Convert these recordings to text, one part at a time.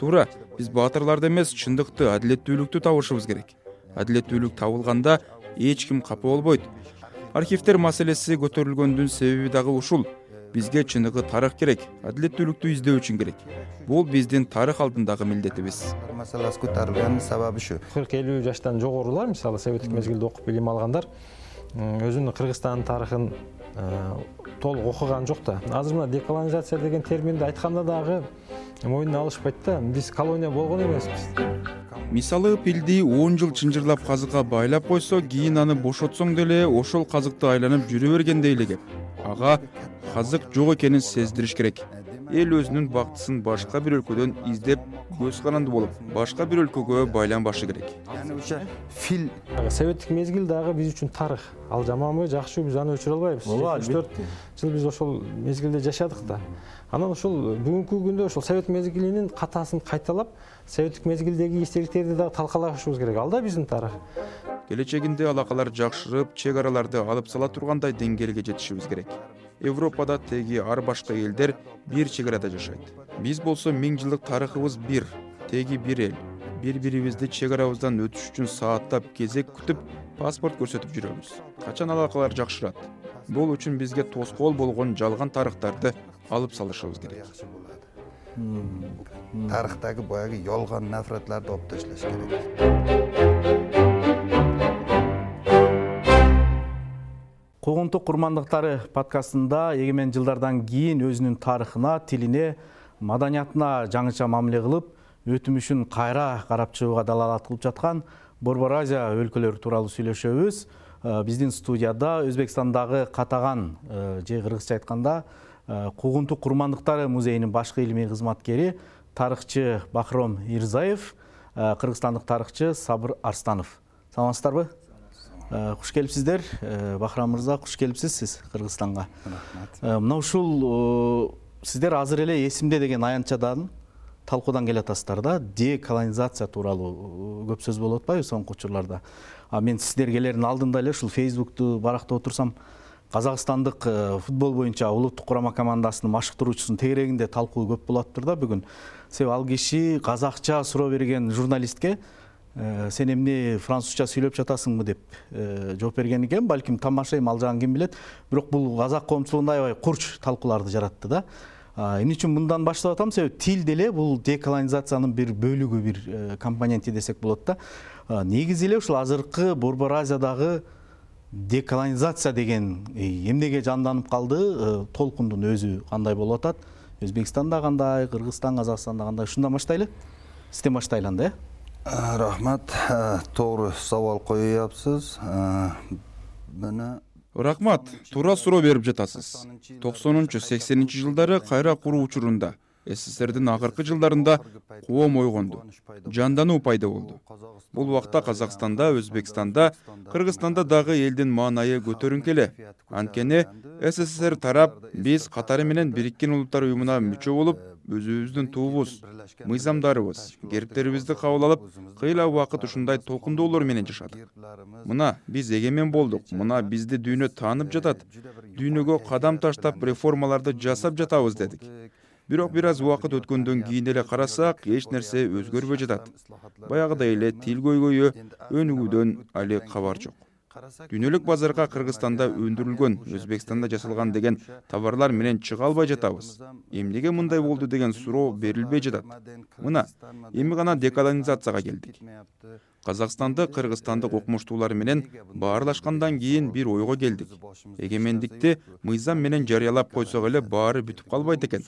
Туура, биз баатырларды эмес, чындыкты, адилеттүүлүктү табышыбыз керек. Адилеттүүлүк табылганда эч ким капа болбойт. Архивдер маселеси көтөрүлгөндүн себеби дагы ушул. Бизге чыныгы тарых керек, адилеттүүлүктү издөө үчүн керек. Бул биздин тарых алдындагы милдетибиз. Маселасы көтөрүлгөнүн сабабы ушу. 40-50 жаштан жогорулар, мисалы советтик мезгилде окуп билим алгандар өзүнүн Кыргызстандын тарыхын толук окуган жок да. Азыр мына деколонизация деген терминди айтканда дагы мойнуна алышпайт да. Биз колония болгон эмеспиз. Мисалы, пилди 10 жыл чынжырлап казыкка байлап койсо, кийин аны бошотсоң деле ошол казыкты айланып жүрө бергендей эле кеп. Ага казык жок экенин сездириш керек. Эл өзүнүн бактысын башка бир өлкөдөн издеп, көз каранды болуп, башка бир өлкөгө байланбашы керек. Фил Советтик мезгил дагы биз үчүн тарых. Ал жаманбы, жакшыбы биз аны өчүрө албайбыз. 74 жыл биз ошол мезгилде жашадык да. Анан ошол бүгүнкү күндө ошол совет мезгилинин катасын кайталап, советтик мезгилдеги эстеликтерди дагы талкалашыбыз керек. Ал да биздин тарых. Келечегинде алакалар жакшырып, чек араларды алып сала тургандай деңгээлге жетишибиз керек. Европада теги ар башка элдер бир чек арада жашайт. Биз болсо 1000 жылдык тарыхыбыз бир, теги бир эл. Бири-бирибизди чек арабыздан өтүш үчүн сааттап, кезек күтүп, паспорт көрсөтүп жүрөбүз. Качан алакалар жакшырат? Бул үчүн бизге тоскоол болгон жалган тарыхтарды алып салышыбыз керек. тарыхтагы баягы ялган нафратларды алып ташлаш керек. Куугунтук курмандыктары подкастында эгемен жылдардан кийин өзүнүн тарыхына, тилине, маданиятына жаңыча мамиле кылып, өтүмүшүн кайра карап чыгууга далалат кылып жаткан Борбор Азия өлкөлөрү тууралуу сүйлөшөбүз. Биздин студияда Өзбекстандагы Катаган же кыргызча айтканда Куугунтук курмандыктары музейинин башкы илимий кызматкери тарыхчы Бахром Ирзаев, кыргызстандык тарыхчы Сабыр Арстанов. Саламатсыздарбы? Куш келипсиздер. Бахрам мырза, куш келипсиз сиз Кыргызстанга. Мына ушул сиздер азыр эле эсимде деген аянтчадан талкуудан келатасыздар да. Деколонизация тууралуу көп сөз болуп атпайбы соңку учурларда. Мен сиздер келердин алдында эле ушул Facebook'ту барактап отурсам, Казакстандык футбол боюнча улуттук курама командасынын машыктыруучусунун тегерегинде талкуу көп болуп атыптыр да бүгүн. Себеби ал киши казакча суроо берген журналистке сен эмне французча сүйлөп жатасыңбы деп жооп берген экен. Балким тамашайым ал жагын ким билет. Бирок бул казак коомчулугунда аябай курч талкууларды жаратты да. Эмне үчүн мындан баштап атам? Себеби тил деле бул деколонизациянын бир бөлүгү, бир компоненти десек болот да. Негизи эле ушул азыркы Борбор Азиядагы деколонизация деген эмнеге жанданып калды? Толкундун өзү кандай болуп атат? Өзбекстанда кандай, Кыргызстан, Казакстанда кандай? Ушундан баштайлы. Сизден баштайлы анда, Рахмат, туура сабал коюпсуз. Рахмат, туура суроо берип жатасыз. 90-80 жылдары кайра куруу учурунда СССРдин акыркы жылдарында коом ойгонду, жандануу пайда болду. Бул убакта Казакстанда, Өзбекстанда, Кыргызстанда дагы элдин маанайы көтөрүнкү эле. Анткени СССР тарап биз катары менен Бириккен Улуттар уюмуна мүчө болуп, өзүбүздүн туубуз, мыйзамдарыбыз, кериктерибизди кабыл алып, кыйла убакыт ушундай толкундоолор менен жашадык. Мына биз эгемен болдук, мына бизди дүйнө таанып жатат. Дүйнөгө кадам таштап реформаларды жасап жатабыз дедик. Бирок бир аз убакыт өткөндөн кийин эле карасак, эч нерсе өзгөрбөй жатат. Баягыдай эле тил көйгөйү, өнүгүүдөн али кабар жок. Дүйнөлүк базарга Кыргызстанда өндүрүлгөн, Өзбекстанда жасалган деген товарлар менен чыга албай жатабыз. Эмнеге мындай болду деген суроо берилбей жатат. Мына, эми гана деколонизацияга келдик. Казакстанды, Кыргызстандык окумуштуулар менен баарлашкандан кийин бир ойго келдик. Эгемендикти мыйзам менен жарыялап койсок эле баары бүтүп калбайт экен.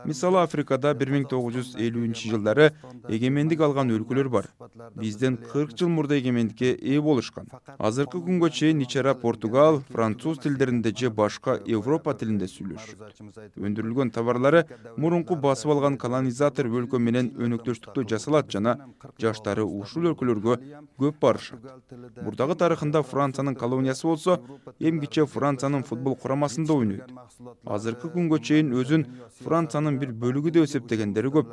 Мисалы, Африкада 1950-жылдары эгемендик алган өлкөлөр бар. Бизден 40 жыл мурда эгемендикке ээ болушкан. Азыркы күнгө чейин ичара португал, француз тилдеринде же башка Европа тилинде сүйлөшүшөт. Өндүрүлгөн товарлары мурунку басып алган колонизатор өлкө менен өнөктөштүктө жасалат жана жаштары ушул өлкөлөргө көп барышат. Бурдагы тарыхында Франциянын колониясы болсо, эмгиче Франциянын футбол курамасында ойнойт. Азыркы күнгө чейин өзүн Франциянын бир бөлүгү деп эсептегендери көп.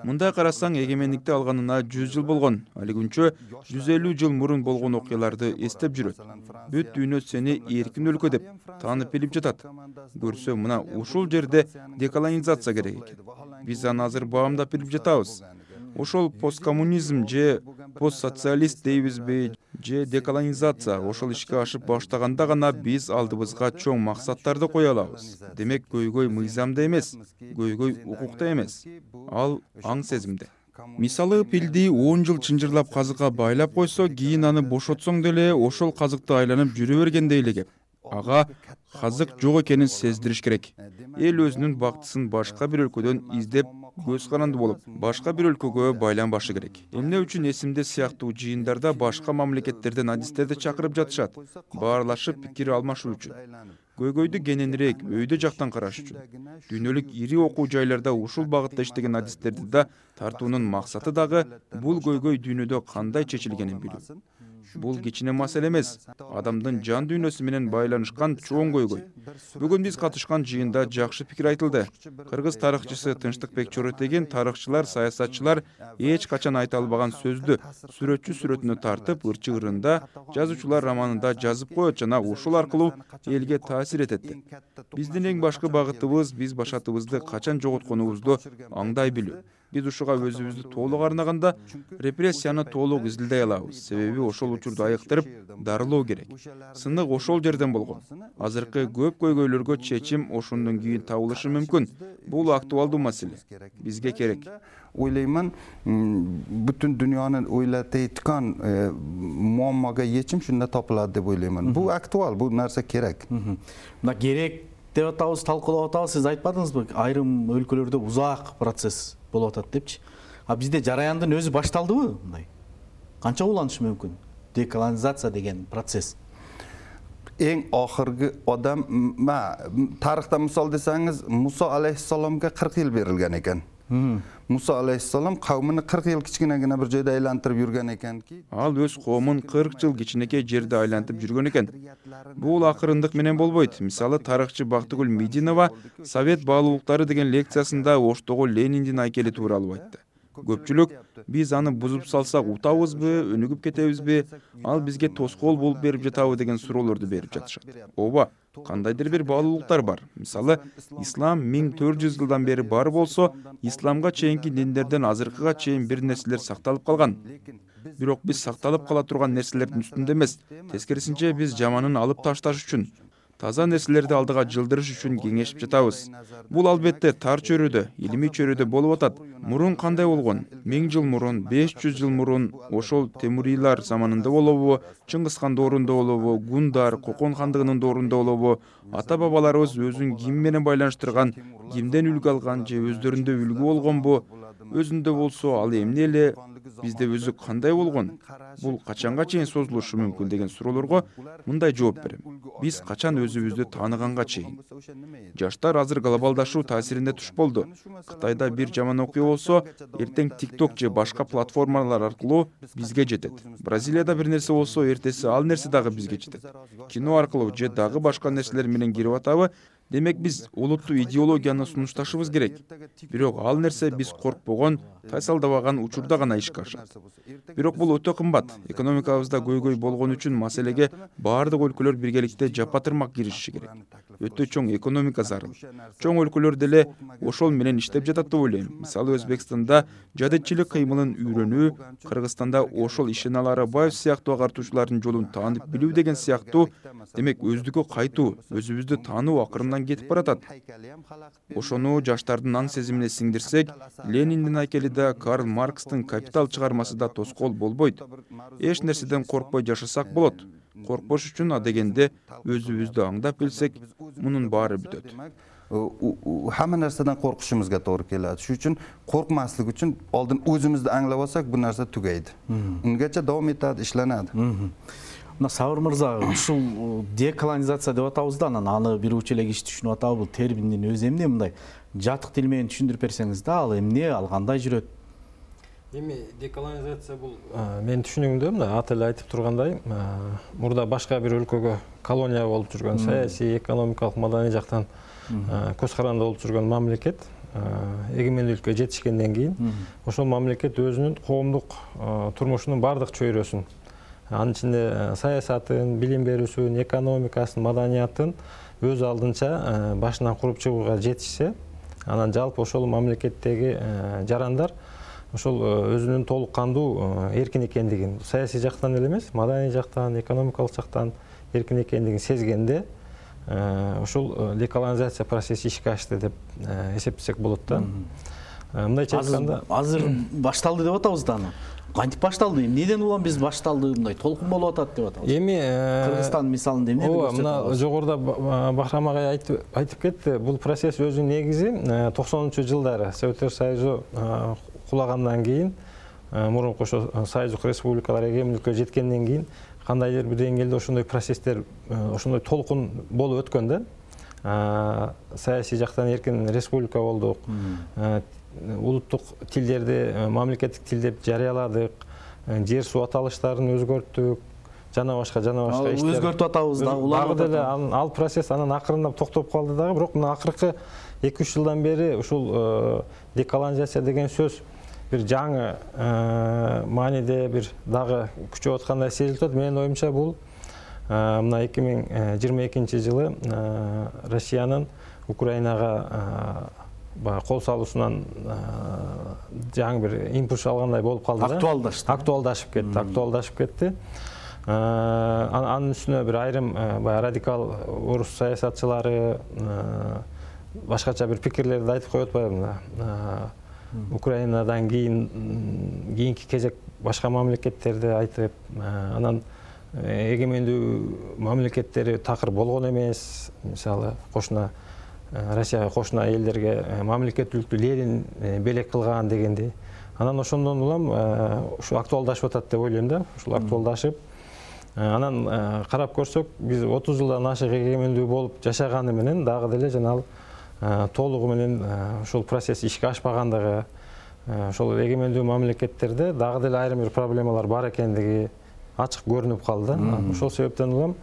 Мындай карасаң, эгемендикти алганына 100 жыл болгон. Али күнчө 150 жыл мурун болгон окуяларды эстеп жүрөт. Бүт дүйнө сени эркин өлкө деп таанып билип жатат. Көрсө, мына ушул жерде деколонизация керек экен. Биз аны азыр баамдап билип жатабыз. ошол посткоммунизм же постсоциалист дейбизби же деколонизация ошол ишке ашып баштаганда гана биз алдыбызга чоң максаттарды кое алабыз. Демек көйгөй мыйзамда эмес, көйгөй укукта эмес, ал аң сезимде. Мисалы, пилди 10 жыл чынжырлап казыкка байлап койсо, кийин аны бошотсоң деле ошол казыкты айланып жүрө бергендей эле кеп. Ага казык жок экенин сездириш керек. Эл өзүнүн бактысын башка бир өлкөдөн издеп, көз каранды болуп, башка бир өлкөгө байланбашы керек. Эмне үчүн эсимде сыяктуу жыйындарда башка мамлекеттерден адистерди чакырып жатышат, баарлашып пикир алмашуу үчүн. Көйгөйдү кененирээк өйдө жактан караш үчүн. Дүйнөлүк ири окуу жайларда ушул багытта иштеген адистерди да тартуунун максаты дагы бул көйгөй дүйнөдө кандай чечилгенин билүү. Бул кичине маселе эмес, адамдын жан дүйнөсү менен байланышкан чоң көйгөй. Бүгүн биз катышкан жыйында жакшы пикир айтылды. Кыргыз тарыхчысы Тынчтыкбек Чоротегин тарыхчылар, саясатчылар эч качан айта албаган сөздү сүрөтчү сүрөтүнө тартып, ырчы ырында, жазуучулар романында жазып коет жана ушул аркылуу элге таасир этет. Биздин эң башкы багытыбыз биз башатыбызды качан жоготконубузду аңдай билүү. Биз ушуга өзүбүздү толук арнаганда репрессияны толук изилдей алабыз. Себеби ошол учурду айыктырып дарылоо керек. Сынык ошол жерден болгон. Азыркы көп көйгөйлөргө чечим ошондон кийин табылышы мүмкүн. Бул актуалдуу маселе. Бизге керек. Ойлайман, бүтүн дүйнөнү ойлотойткан муаммага чечим шунда топулат деп ойлоймун. Бул актуал, бул нерсе керек. Мына керек деп атабыз, талкуулап атабыз. Сиз айтпадыңызбы, айрым өлкөлөрдө узак процесс болуп атат депчи. А бизде жараяндын өзү башталдыбы мындай? Канча уланышы мүмкүн? Деколонизация деген процесс. Эң ахыркы адам, тарыхта мисал десеңиз, Муса алейхиссаламга 40 жыл берилген экен. Муса алейхиссалам кавмын 40 жыл кичинегине бир жерде айлантырып жүргөн экен ки. Ал өз коомун 40 жыл кичинекей жерде айлантып жүргөн экен. Бул акырындык менен болбойт. Мисалы, тарыхчы Бактыгүл Мединова Совет баалуулуктары деген лекциясында Оштогу Лениндин айкели тууралуу айтты. Көпчүлүк биз аны бузуп салсак утабызбы, өнүгүп кетебизби, ал бизге тоскоол болуп берип жатабы деген суроолорду берип жатышат. Ооба, кандайдыр бир баалуулуктар бар. Мисалы, ислам 1400 жылдан бери бар болсо, исламга чейинки диндерден азыркыга чейин бир нерселер сакталып калган. Бирок биз сакталып кала турган нерселердин үстүндө эмес, тескерисинче биз жаманын алып ташташ үчүн, таза нерселерди алдыга жылдырыш үчүн кеңешип жатабыз. Бул албетте тар чөйрөдө, илимий чөйрөдө болуп атат. Мурун кандай болгон? 1000 жыл мурун, 500 жыл мурун ошол Темурийлар заманында болобу, Чыңгызхан доорунда болобу, Гундар, Кокон хандыгынын доорунда болобу, ата-бабаларыбыз өзүн ким менен байланыштырган, кимден үлгү алган же өздөрүндө үлгү болгонбу? Өзүндө болсо ал эмне эле, бизде өзү кандай болгон? Бул качанга чейин созулушу мүмкүн деген суроолорго мындай жооп берем. Биз качан өзүбүздү тааныганга чейин. Жаштар азыр глобалдашуу таасирине туш болду. Кытайда бир жаман окуя болсо, эртең TikTok же башка платформалар аркылуу бизге жетет. Бразилияда бир нерсе болсо, эртеси ал нерсе дагы бизге жетет. Кино аркылуу же дагы башка нерселер менен кирип атабы? Демек биз олуттуу идеологияны сунушташыбыз керек. Бирок ал нерсе биз коркпогон, тайсалдабаган учурда гана ишке ашат. Бирок бул өтө кымбат. Экономикабызда көйгөй болгон үчүн маселеге баардык өлкөлөр биргеликте жапа-тырмак киришиши керек. Өтө чоң экономика зарыл. Чоң өлкөлөр деле ошол менен иштеп жатат деп ойлойм. Мисалы, Өзбекстанда жадычылык кыймылын үйрөнүү, Кыргызстанда ошол Ишеналы Арабаев сыяктуу агартуучулардын жолун таанып билүү деген сыяктуу, демек өздүккө кайтуу, өзүбүздү таануу акырындан кетип баратат. Ошону жаштардын аң сезимине сиңдирсек, Лениндин айкели да, Карл Маркстын Капитал чыгармасы да тоскоол болбойт. Эч нерседен коркпой жашасак болот. Коркпош үчүн адегенде өзүбүздү аңдап билсек, мунун баары бүтөт. Hamma narsadan qo'rqishimizga to'g'ri keladi. Shu uchun qo'rqmaslik uchun oldin o'zimizni anglab olsak, bu narsa tugaydi. Ungacha davom etadi, ishlanadi. Мына Сабыр мырза, ушул деколонизация деп атабыз да, анан аны бир учу эле киши түшүнүп атабы, бул терминдин өзү эмне, мындай жатык тил менен түшүндүрүп берсеңиз да, ал эмне, ал кандай жүрөт? Эми деколонизация бул менин түшүнүгүмдө мына аты эле айтып тургандай, мурда башка бир өлкөгө колония болуп жүргөн, саясий, экономикалык, маданий жактан көз каранды болуп жүргөн мамлекет эгемендүүлүккө жетишкенден кийин ошол мамлекет өзүнүн коомдук турмушунун баардык чөйрөсүн, анын ичинде саясатын, билим берүүсүн, экономикасын, маданиятын өз алдынча башынан куруп чыгууга жетишсе, анан жалпы ошол мамлекеттеги жарандар ошол өзүнүн толук кандуу эркин экендигин, саясий жактан эле эмес, маданий жактан, экономикалык жактан эркин экендигин сезгенде ушул деколонизация процесси ишке ашты деп эсептесек болот да. Мындайча айтканда, азыр башталды деп атабыз да аны. Кантип башталды? Эмнеден улам биз башталды, мындай толкун болуп атат деп атабыз. Эми Кыргызстан мисалында эмне ооба, мына жогоруда Бахрам агай айтып кетти. Бул процесс өзүнүн негизи 90-жылдары Советтер Союзу кулагандан кийин, мурунку ошо союздук республикалар эгемендикке жеткенден кийин кандайдыр бир деңгээлде ошондой процесстер, ошондой толкун болуп өткөн да. Саясий жактан эркин республика болдук. Улуттук тилдерди мамлекеттик тил деп жарыяладык. Жер суу аталыштарын өзгөрттүк. Жана башка иштер. Өзгөртүп атабыз да, улам деле ал процесс анан акырындап токтоп калды дагы, бирок мына акыркы 2-3 жылдан бери ушул деколонизация деген сөз бир жаңы мааниде бир дагы күчөп аткандай сезилип атат. Менин оюмча бул мына 2022 жылы Россиянын Украинага кол салуусунан жаңы бир импульс алгандай болуп калды да. Актуалдашып кетти. Анын үстүнө бир айрым радикал орус саясатчылары башкача бир пикирлерди айтып коюп атпайбы? Украинадан кийинки кезек башка мамлекеттерди айтып, анан эгемендүү мамлекеттери такыр болгон эмес. Мисалы, Россияга кошуна элдерге мамлекеттүүлүктү Ленин белек кылган дегендей. Анан ошондон улам ушу актуалдашып атат деп ойлойм да. Ушул актуалдашып, анан карап көрсөк, биз 30 жылдан ашык эгемендүү болуп жашаганы менен дагы деле жана ал толугу менен ушул процесс ишке ашпагандыгы, ошол эгемендүү мамлекеттерде дагы деле айрым бир проблемалар бар экендиги ачык көрүнүп калды. Ошол себептен улам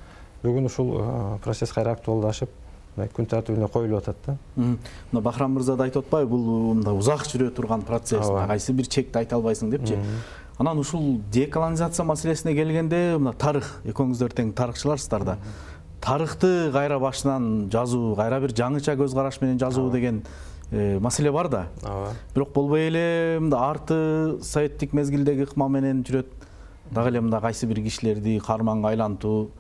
бүгүн ушул процесс кайра актуалдашып, күн тартибине коюлуп атат да. Мына Бахрам мырза да айтып атпайбы, бул мындай узак жүрө турган процесс, кайсы бир чекти айта албайсың депчи. Анан ушул деколонизация маселесине келгенде, мына тарых, экөөңүздөр тең тарыхчыларсыздар да. Тарыхты кайра башынан жазуу, кайра бир жаңыча көз караш менен жазуу деген маселе бар да. Бирок болбой эле мында арты советтик мезгилдеги ыкма менен жүрөт. Дагы эле мында кайсы бир кишилерди карманга айлантуу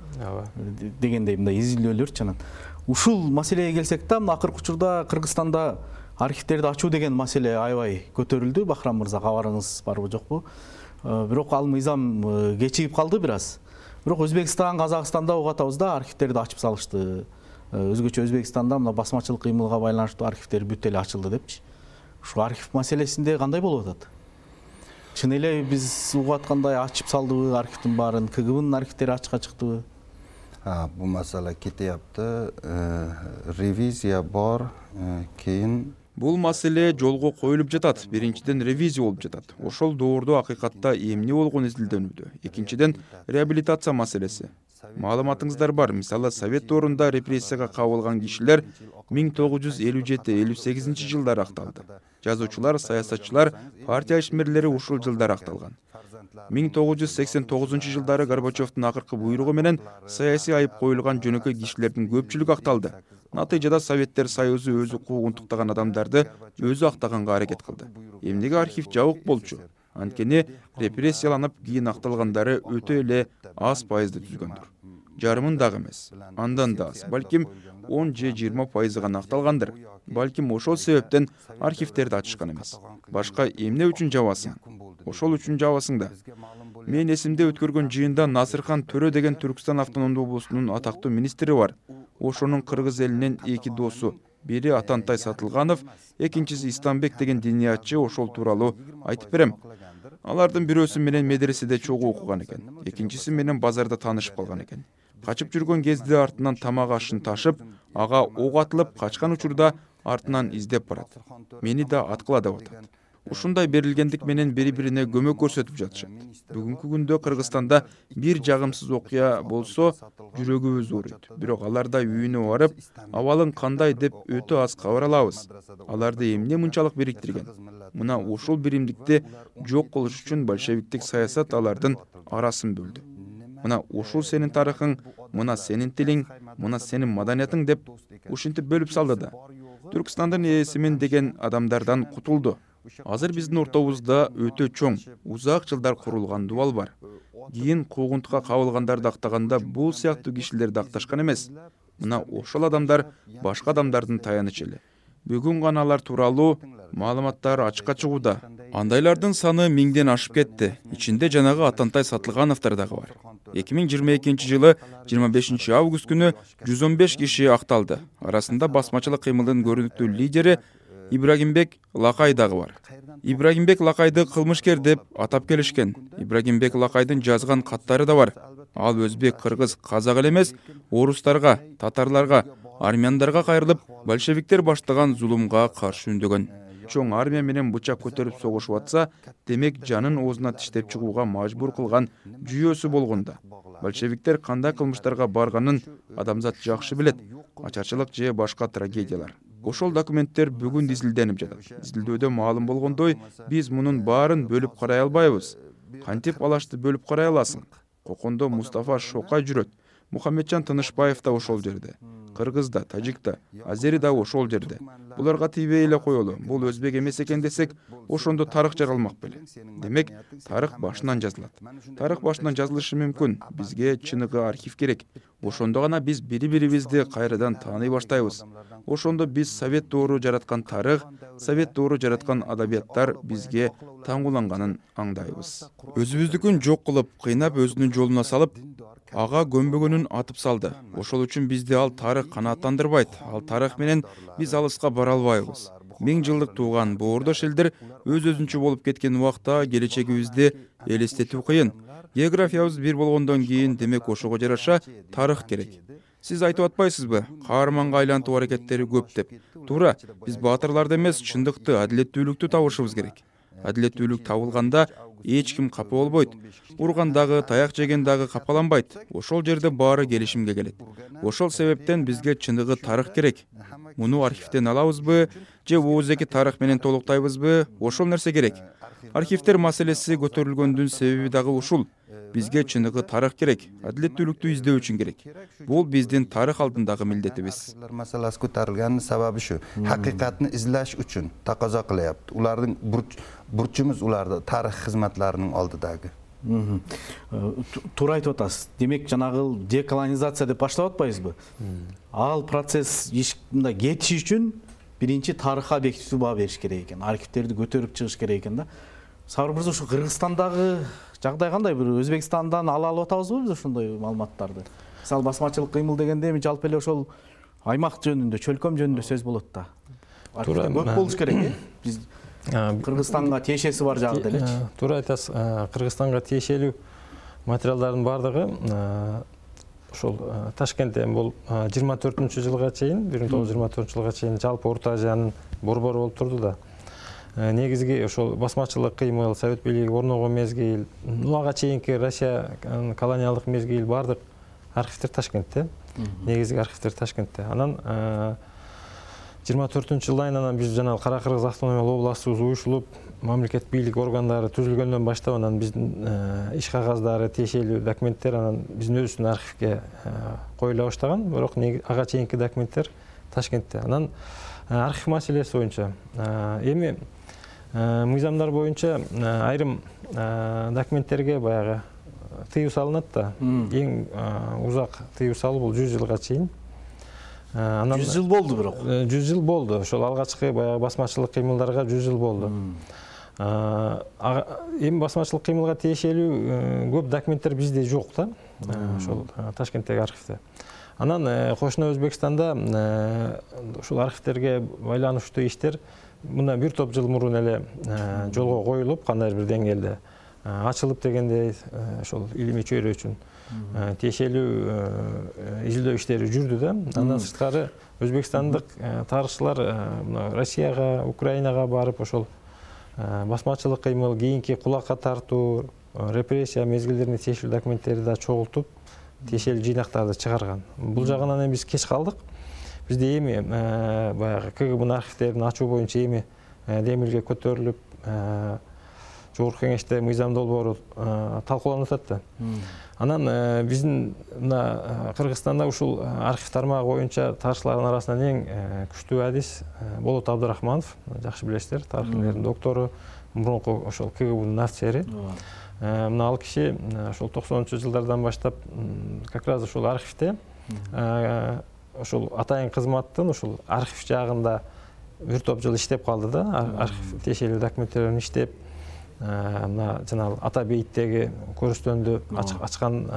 дегендей мындай изилдөөлөрчү. Анан ушул маселеге келсек да, мына акыркы учурда Кыргызстанда архивтерди ачуу деген маселе аябай көтөрүлдү. Бахрам мырза, кабарыңыз барбы жокпу? Бирок ал мыйзам кечигип калды бир аз. Бирок Өзбекстан, Казакстанда угуп атабыз да, архивтерди ачып салышты. Өзгөчө Өзбекстанда мына басмачылык кыймылга байланыштуу архивтер бүт эле ачылды депчи. Ушул архив маселесинде кандай болуп атат? Чын эле биз угуп аткандай ачып салдыбы архивдин баарын? КГБнын архивтери ачыкка чыктыбы? Бул маселе кетияпты. Ревизия бар, кийин Бул маселе жолго коюлуп жатат. Биринчиден ревизия болуп жатат. Ошол доордо акыйкатта эмне болгону изилдөнүүдө. Экинчиден реабилитация маселеси. Маалыматыңыздар бар. Мисалы, Совет доорунда репрессияга кабылган кишилер 1957-58 жылдары акталды. Жазуучулар, саясатчылар, партия ишмерлери ушул жылдары акталган. 1989 жылдары Горбачевдун акыркы буйругу менен саясий айып коюлган жөнөкөй кишилердин көпчүлүгү акталды. Натыйжада Советтер Союзу өзү куугун туктаган адамдарды өзү актаганга аракет кылды. Эмнеге архив жабык болчу? Анткени репрессияланып кийин акталгандары өтө эле аз пайызды түзгөндүр. Жарымын дагы эмес. Андан да аз, балким 10 же 20% гана акталгандыр. Балким ошол себептен архивтерди ачышкан эмес. Башка эмне үчүн жабасың? Ошол үчүн жабасың да. Мен эсимде өткөргөн жыйында Насырхан Төрө деген Түркстан автономдуу облусунун атактуу министри бар. Ошонун кыргыз элинен 2 досу, бири Атантай Сатылганов, экинчиси Истамбек деген диниятчы ошол тууралуу айтып берем. Алардын бирөөсү менен медреседе чогуу окуган экен, экинчиси менен базарда таанышып калган экен. Качып жүргөн кезде артынан тамак ашын ташып, ага ок атылып качкан учурда артынан издеп барат. Мени да аткыла деп атат. Ушундай берилгендик менен бири-бирине көмөк көрсөтүп жатышат. Бүгүнкү күндө Кыргызстанда бир жагымсыз окуя болсо, жүрөгүбүз ооруйт. Бирок аларда үйүнө барып, абалың кандай деп өтө аз кабар алабыз. Аларды эмне мынчалык бириктирген? Мына ушул биримдикти жок кылыш үчүн большевиктик саясат алардын арасын бөлдү. Мына ушул сенин тарыхың, мына сенин тилиң, мына сенин маданиятың деп ушинтип бөлүп салды да. Түркстандын ээсимин деген адамдардан кутулду. Азыр биздин ортобузда өтө чоң, узак жылдар курулган дубал бар. Кийин куугунтукка кабылгандарды актаганда бул сыяктуу кишилерди акташкан эмес. Мына ошол адамдар башка адамдардын таянычы эле. Бүгүн гана алар тууралуу маалыматтар ачыкка чыгууда. Андайлардын саны 1000ден ашып кетти. Ичинде жанагы Атантай Сатылгановдор дагы бар. 2022 жылы 25 август күнү 115 киши акталды. Арасында басмачылык кыймылдын көрүнүктүү лидери Ибрагимбек Лакай дагы бар. Ибрагимбек Лакайды кылмышкер деп атап келишкен. Ибрагимбек Лакайдын жазган каттары да бар. Ал өзбек, кыргыз, казак эле эмес, орустарга, татарларга, армяндарга кайрылып, большевиктер баштаган зулумга каршы үндөгөн. Чоң армия менен бычак көтөрүп согушуп атса, демек жанын оозуна тиштеп чыгууга мажбур кылган жүйөсү болгондо. Большевиктер кандай кылмыштарга барганын адамзат жакшы билет. Ачарчылык же башка трагедиялар. Ошол документтер бүгүн изилденип жатат. Изилдөөдө маалым болгондой, биз мунун баарын бөлүп карай албайбыз. Кантип алашты бөлүп карай аласың? Кокондо Мустафа Шокай жүрөт. Мухаммеджан Тынышбаев да ошол жерде. Кыргыз да, тажик да, азери да ошол жерде. Буларга тийбей эле коелу. Бул өзбек эмес экен десек, ошондо тарых жаралмак беле. Демек, тарых башынан жазылат. Тарых башынан жазылышы мүмкүн. Бизге чыныгы архив керек. Ошондо гана биз бири-бирибизди кайрадан тааный баштайбыз. Ошондо биз совет доору жараткан тарых, совет доору жараткан адабияттар бизге таңгуланганын аңдайбыз. Өзүбүздүкүн жок кылып, кыйнап өзүнүн жолуна салып, ага көмбөгөнүн атып салды. Ошол үчүн бизди ал тарых канааттандырбайт. Ал тарых менен биз алыска бара албайбыз. 1000 жылдык тууган боордош элдер өз-өзүнчө болуп кеткен убакта келечегибизди элестетүү кыйын. Географиябыз бир болгондон кийин демек ошого жараша тарых керек. Сиз айтып атпайсызбы? Каарманга айлантуу аракеттери көп деп. Туура, биз баатырларды эмес, чындыкты, адилеттүүлүктү табышыбыз керек. Адилеттүүлүк табылганда эч ким капа болбойт. Урган дагы, таяк жеген дагы капаланбайт. Ошол жерде баары келишимге келет. Ошол себептен бизге чыныгы тарых керек. Муну архивден алабызбы, же ооздеги тарых менен толуктайбызбы? Ошол нерсе керек. Архивдер маселеси көтөрүлгөндүн себеби дагы ушул. Бизге чыныгы тарых керек, адилеттүүлүктү издөө үчүн керек. Бул биздин тарых алдындагы милдетибиз. Маселеси көтөрүлгөнүн себеби ушу. Хакыйкатты излеш үчүн таказа кылып, улардын бурчумуз уларды тарых кызматларынын алдыдагы. Туура айтып атасыз. Демек жанагы деколонизация деп баштап атпайбызбы? Ал процесс мындай кетиши үчүн биринчи тарыхка объективдүү баа бериш керек экен. Архивтерди көтөрүп чыгыш керек экен да. Сабыр мырза, ушу Кыргызстандагы жагдай кандай? Бир Өзбекстандан ала алып атабызбы биз ошондой маалыматтарды? Мисалы басмачылык кыймыл дегенде эми жалпы эле ошол аймак жөнүндө, чөлкөм жөнүндө сөз болот да. Туура, көп болуш керек э? Биз Кыргызстанга тиешеси бар жагы делечи. Туура айтасыз. Кыргызстанга тиешелүү материалдардын баардыгы ошол Ташкентте бул 24-жылга чейин, 1924-жылга чейин жалпы Орто Азиянын борбору болуп турду да. Негизги ошол басмачылык кыймыл, совет бийлиги орногон мезгил, ага чейинки Россия колониалдык мезгил баардык архивдер Ташкентте. Негизги архивдер Ташкентте. Анан 24-жылдан анан биз жана Кара Кыргыз автономиялык областыбыз уюшулуп, мамлекет бийлик органдары түзүлгөндөн баштап анан биздин иш кагаздары, тиешелүү документтер анан биздин өзүбүздүн архивге коюла баштаган. Бирок ага чейинки документтер Ташкентте. Анан архив маселеси боюнча эми мыйзамдар боюнча айрым документтерге баягы тыюу салынат да. Эң узак тыюу салуу бул 100 жылга чейин. 100 жыл болду бирок. 100 жыл болду. Ошол алгачкы баягы басмачылык кыймылдарга 100 жыл болду. Эми басмачылык кыймылга тиешелүү көп документтер бизде жок да. Ошол Ташкенттеги архивде. Анан кошуна Өзбекстанда ушул архивтерге байланыштуу иштер мына бир топ жыл мурун эле жолго коюлуп, кандайдыр бир деңгээлде ачылып дегендей ошол илимий чөйрө үчүн тиешелүү изилдөө иштери жүрдү да. Андан сырткары өзбекстандык тарыхчылар Россияга, Украинага барып ошол басмачылык кыймыл, кийинки кулакка тартуу, репрессия мезгилдерине тиешелүү документтерди да чогултуп, тиешелүү жыйнактарды чыгарган. Бул жагынан биз кеч калдык. Бизде эми баягы КГБнын архивтерин ачуу боюнча эми демилге көтөрүлүп, жогорку кеңеште мыйзам долбоору талкууланып атат да. Анан биздин мына Кыргызстанда ушул архив тармагы боюнча тарыхчылардын арасынан эң күчтүү адис Болот Абдрахманов, жакшы билесиздер, тарых илимдеринин доктору, мурунку ошол КГБнын офицери. Мына ал киши ошол 90-жылдардан баштап как раз ушул архивде ошол атайын кызматтын ушул архив жагында бир топ жыл иштеп калды да. Архив тиешелүү документтерин иштеп, мына жанагы ата бейиттеги көрүстөндү ачкан.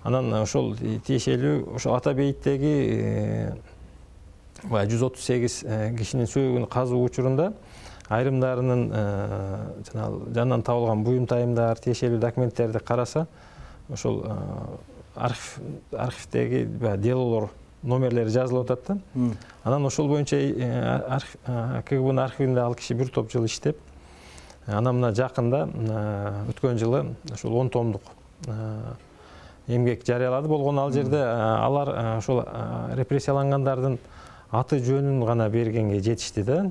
Анан ошол тиешелүү ошол ата бейиттеги 138 кишинин сөөгүн казуу учурунда айрымдарынын жанынан табылган буюм-тайымдар, тиешелүү документтерди караса, ошол архивдеги делолор номерлери жазылып атат да. Анан ошол боюнча КГБнын архивинде ал киши бир топ жыл иштеп, анан мына жакында өткөн жылы ошол 10 томдук эмгек жарыялады. Болгону ал жерде алар ошол репрессиялангандардын аты жөнүн гана бергенге жетишти да.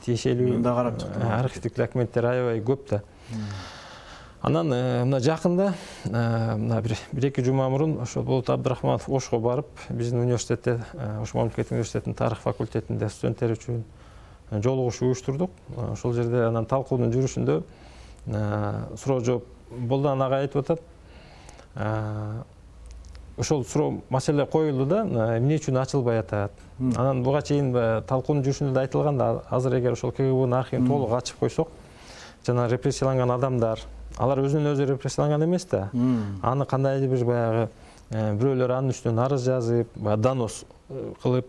Тиешелүү архивдик документтер аябай көп да. Анан мына жакында мына бир-эки жума мурун ошо Болот Абдрахманов Ошко барып, биздин университетте, Ош мамлекеттик университетинин тарых факультетинде студенттер үчүн жолугуш уюштурдук. Ошол жерде анан талкуунун жүрүшүндө суроо жооп болду. Ага айтып атат. Ошол суроо маселе коюлду да, эмне үчүн ачылбай атат. Анан буга чейин талкуунун жүрүшүндө да айтылган да, азыр эгер ошол КГБнын архивин толук ачып койсок, жана репрессияланган адамдар, алар өзүнөн өзү репрессияланган эмес да. Аны кандайдыр бир баягы бирөөлөр анын үстүнөн арыз жазып, донос кылып,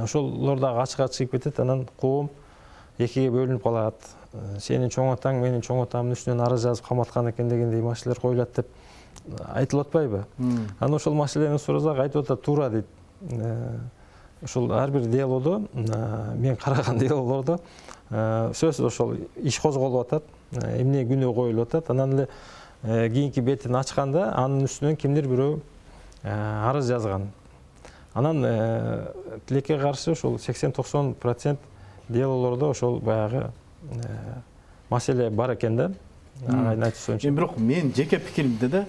ошолор дагы ачыкка чыгып кетет. Анан коом экиге бөлүнүп калат. Сенин чоң атаң менин чоң атамдын үстүнөн арыз жазып каматкан экен дегендей маселелер коюлат деп айтылып атпайбы? Анан ошол маселени сурасак айтып атат, туура дейт. Ошол ар бир делодо, мен караган делолордо сөзсүз ошол иш козголуп атат, эмне күнөө коюлуп атат. Анан эле кийинки бетин ачканда анын үстүнөн кимдир бирөө арыз жазган. Анан тилекке каршы ошол 80-90% делолордо ошол баягы маселе бар экен да. Агайдын айтуусунча. Бирок мен жеке пикиримде да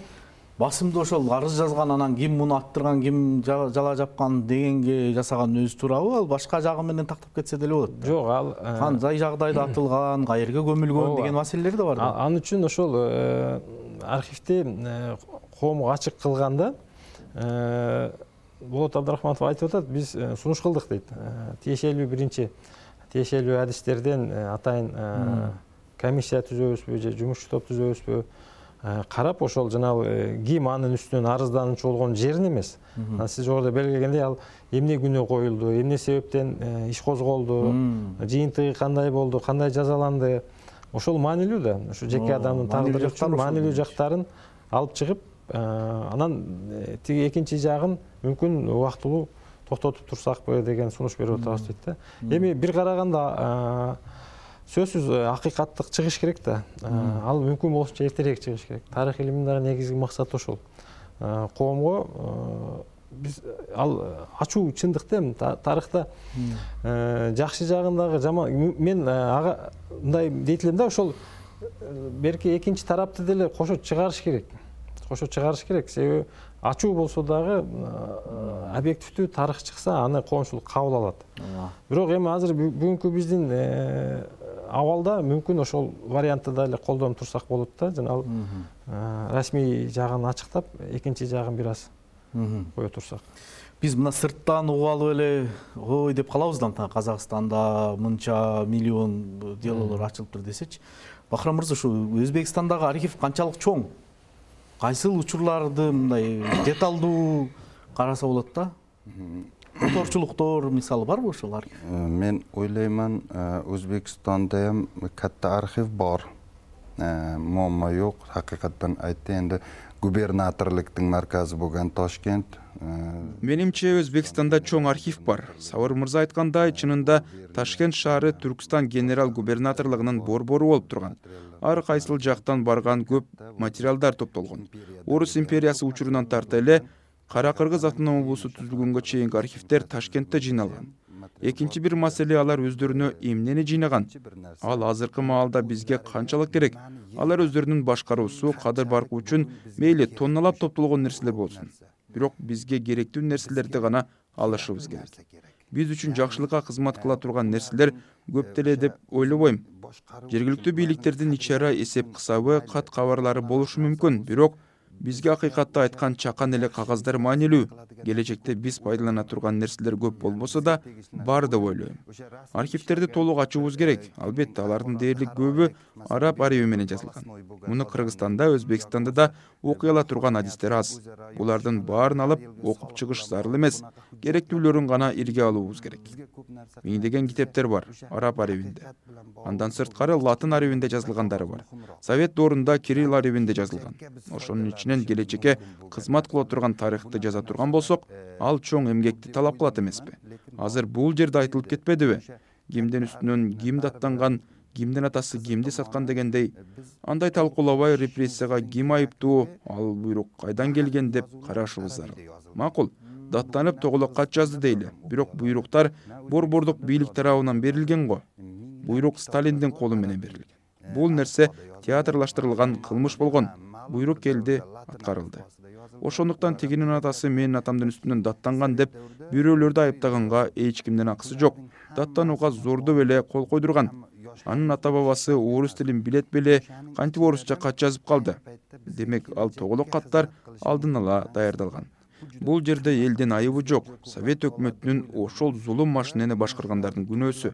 басымда ошол арыз жазган, анан ким муну аттырган, ким жала жапкан дегенге жасаган өзү туурабы? Ал башка жагы менен тактап кетсе деле болот. Жок, ал кандай жагдайда атылган, каерге көмүлгөн деген маселелер да бар. Ал үчүн ошол архивди коомго ачык кылганда Болот Абдрахманов айтып атат, биз сунуш кылдык дейт. Тиешелүү адистерден атайын комиссия түзөбүзбү же жумушчу топ түзөбүзбү, карап ошол жанагы ким анын үстүнөн арыздануучу болгон жерин эмес. Сиз жогоруда белгилегендей, ал эмне күнөө коюлду, эмне себептен иш козголду, жыйынтыгы кандай болду, кандай жазаланды, ошол маанилүү да. Ошо жеке адамдын тагдыры үчүн маанилүү жактарын алып чыгып, анан тиги экинчи жагын мүмкүн убактылуу токтотуп турсакпы деген сунуш берип атабыз дейт да. Эми бир караганда сөзсүз акыйкаттык чыгыш керек да. Ал мүмкүн болушунча эртерээк чыгыш керек. Тарых илиминин дагы негизги максаты ошол. Коомго биз ал ачуу чындык да, тарыхта жакшы жагындагы жаман, мен ага мындай дейт элем да, ошол берки экинчи тарапты деле кошо чыгарыш керек. Себеби ачуу болсо дагы объективдүү тарых чыкса, аны коомчулук кабыл алат. Бирок эми азыр бүгүнкү биздин абалда мүмкүн ошол вариантты да эле колдонуп турсак болот да. Жана ал расмий жагын ачыктап, экинчи жагын бир аз кое турсак. Биз мына сырттан угуп алып эле ой деп калабыз да, Казакстанда мынча миллион делолор ачылыптыр десечи. Бахрам мырза, ушу Өзбекстандагы архив канчалык чоң? Кайсыл учурларды мындай деталдуу караса болот да? Оторчулуктор мисалы барбы ошол архив? Мен ойлойман, Өзбекстанда ham катта архив бар. Muammo yo'q. Haqiqatan aytganda губернаторлуктун марказы болгон Ташкент. Менимче Өзбекстанда чоң архив бар. Сабыр мырза айткандай, чынында Ташкент шаары Түркстан генерал губернаторлугунун борбору болуп турган. Ар кайсыл жактан барган көп материалдар топтолгон. Орус империясы учурунан тарта эле Кара Кыргыз автономия облусу түзүлгөнгө чейинки архивдер Ташкентте жыйналган. экинчи бир маселе алар өздөрүнө эмнени жыйнаган, ал азыркы маалда бизге канчалык керек. Алар өздөрүнүн башкаруусу кадыр баркы үчүн мейли тонналап топтолгон нерселер болсун, бирок бизге керектүү нерселерди гана алышыбыз керек. Биз үчүн жакшылыкка кызмат кыла турган нерселер көп деле деп ойлобойм. Жергиликтүү бийликтердин ичара эсеп кысабы, кат кабарлары болушу мүмкүн, бирок бизге акыйкатты айткан чакан эле кагаздар маанилүү. Келечекте биз пайдалана турган нерселер көп болбосо да бар деп ойлойм. Архивтерди толук ачуубуз керек. Албетте, алардын дээрлик көбү араб ареби менен жазылган. Муну Кыргызстанда, Өзбекстанда да окуй ала турган адистер аз. Булардын баарын алып окуп чыгыш зарыл эмес. Керектүүлөрүн гана ирге алуубуз керек. Миңдеген китептер бар араб аребинде. Андан сырткары латын аребинде жазылгандары бар. Совет доорунда кирилл аребинде жазылган. Ошонун ичинен келечекке кызмат кыла турган тарыхты жаза турган болсок, ал чоң эмгекти талап кылат эмеспи? Азыр бул жерде айтылып кетпедиби? Кимдин үстүнөн ким даттанган, кимдин атасы кимди саткан дегендей, андай талкуулабай репрессияга ким айыптуу, ал буйрук кайдан келген деп карашыбыз зарыл. Макул, даттанып тоголок кат жазды дейли, бирок буйруктар борбордук бийлик тарабынан берилген го. Буйрук Сталиндин колу менен берилген. Бул нерсе театрлаштырылган кылмыш болгон. Буйрук келди, аткарылды. Ошондуктан тигинин атасы менин атамдын үстүнөн даттанган деп бирөөлөрдү айыптаганга эч кимдин акысы жок. Даттанууга зордоп эле кол койдурган. Анын ата бабасы орус тилин билет беле, кантип орусча кат жазып калды? Демек, ал тоголок каттар алдын ала даярдалган. Бул жерде элдин айыбы жок. Совет өкмөтүнүн ошол зулум машинени башкаргандардын күнөөсү.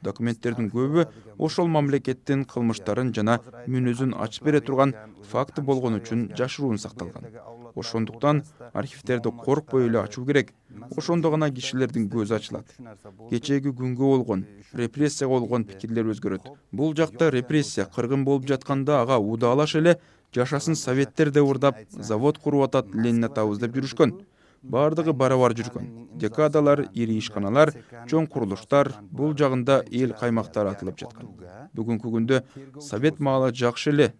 Документтердин көбү ошол мамлекеттин кылмыштарын жана мүнөзүн ачып бере турган факты болгон үчүн жашыруун сакталган. Ошондуктан архивтерди коркпой эле ачуу керек. Ошондо гана кишилердин көзү ачылат. Кечеги күнгө болгон, репрессияга болгон пикирлер өзгөрөт. Бул жакта репрессия кыргын болуп жатканда ага удаалаш эле жашасын советтер деп урдап, завод куруп атат, Ленин атабыз деп жүрүшкөн. Бардыгы барабар жүргөн. Декадалар, ири ишканалар, чоң курулуштар, бул жагында эл каймактар атылып жаткан. Бүгүнкү күндө совет маалы жакшы эле,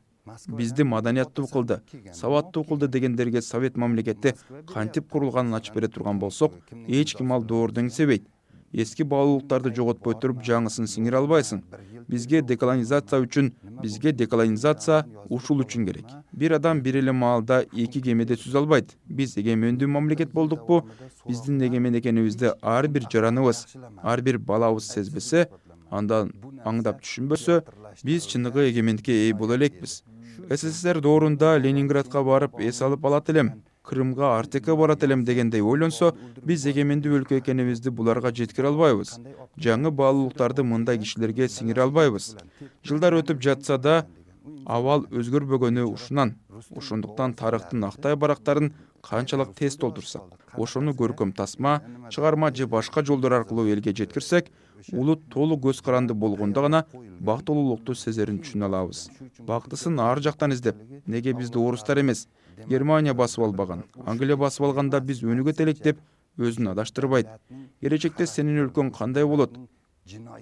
бизди маданияттуу кылды, сабаттуу кылды дегендерге совет мамлекети кантип курулганын ачып бере турган болсок, эч ким ал доорду эңсебейт. Эски баалуулуктарды жоготпой туруп жаңысын сиңире албайсың. Бизге деколонизация ушул үчүн керек. Бир адам бир эле маалда эки кемеде сүзө албайт. Биз эгемендүү мамлекет болдукпу? Биздин эгемен экенибизди ар бир жараныбыз, ар бир балабыз сезбесе, андан аңдап түшүнбөсө, биз чыныгы эгемендикке ээ боло элекпиз. СССР доорунда Ленинградка барып эс алып алат элем, Крымга Артекке барат элем дегендей ойлонсо, биз эгемендүү өлкө экенибизди буларга жеткире албайбыз. Жаңы баалуулуктарды мындай кишилерге сиңире албайбыз. Жылдар өтүп жатса да, абал өзгөрбөгөнү ушунан. Ошондуктан тарыхтын актай барактарын канчалык тез толтурсак, ошону көркөм тасма, чыгарма же башка жолдор аркылуу элге жеткирсек, улут толук көз каранды болгондо гана бактылуулукту сезерин түшүнө алабыз. Бактысын ар жактан издеп, неге бизди орустар эмес, Германия басып албаган, Англия басып алганда биз өнүгөт элек деп өзүн адаштырбайт. Келечекте сенин өлкөң кандай болот?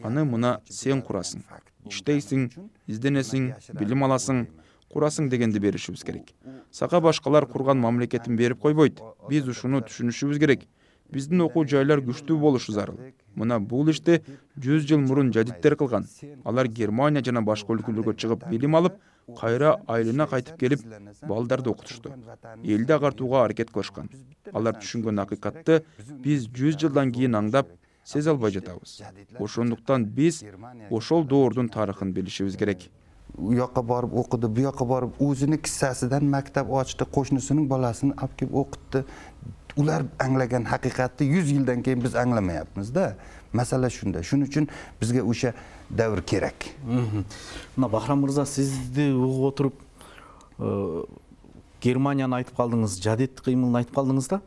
Аны мына сен курасың. Иштейсиң, изденесиң, билим аласың, курасың дегенди беришибиз керек. Сага башкалар курган мамлекетин берип койбойт. Биз ушуну түшүнүшүбүз керек. Биздин окуу жайлар күчтүү болушу зарыл. Мына бул ишти 100 жыл мурун жадиттер кылган. Алар Германия жана башка өлкөлөргө чыгып билим алып, кайра айылына кайтып келип, балдарды окутушту. Элди агартууга аракет кылышкан. Алар түшүнгөн акыйкатты биз 100 жылдан кийин аңдап, сезе албай жатабыз. Ошондуктан биз ошол доордун тарыхын билишибиз керек. У жака барып окуду, бу жака барып өзүнүн киссасыдан мактап ачты, кошунусунун баласын алып келип окутту. Ular anglagan haqiqatni 100 yildan keyin biz anglamayapmiz-da. Masala shunda. Shuning uchun bizga o'sha davr kerak. Мына Бахрам мырза, сизди угуп отуруп, Германияны айтып калдыңыз, жадид кыймылын айтып калдыңыз да.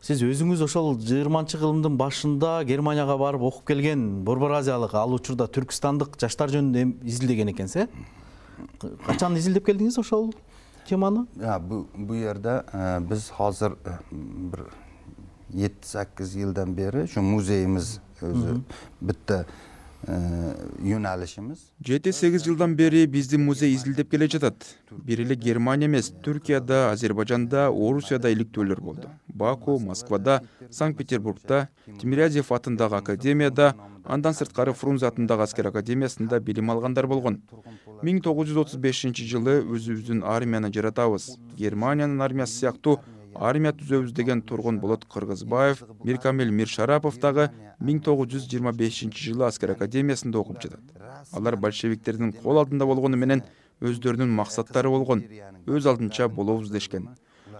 Сиз өзүңүз ошол 20-кылымдын башында Германияга барып окуп келген Борбор Азиялык, ал учурда Түркистандык жаштар жөнүндө изилдеген экенсиз, Качан изилдеп келдиңиз ошол теманы? Bu yerda biz hozir bir 7-8 yildan beri şu muzeyimiz o'zi bitta yo'nalishimiz. 7-8 жылдан бери биздин музей изилдеп келе жатат. Бир эле Германия эмес, Түркияда, Азербайжанда, Орусияда иликтөөлөр болду. Баку, Москвада, Санкт-Петербургда, Тимирязев атындагы академияда, андан сырткары Фрунзе атындагы аскер академиясында билим алгандар болгон. 1935-жылы өзүбүздүн армияны жаратабыз. Германиянын армиясы сыяктуу армия түзөбүз деген Тургун Болот Кыргызбаев, Миркамил Миршарапов дагы 1925-жылы аскер академиясында окуп жатат. Алар большевиктердин кол алдында болгону менен өздөрүнүн максаттары болгон, өз алдынча болобуз дешкен.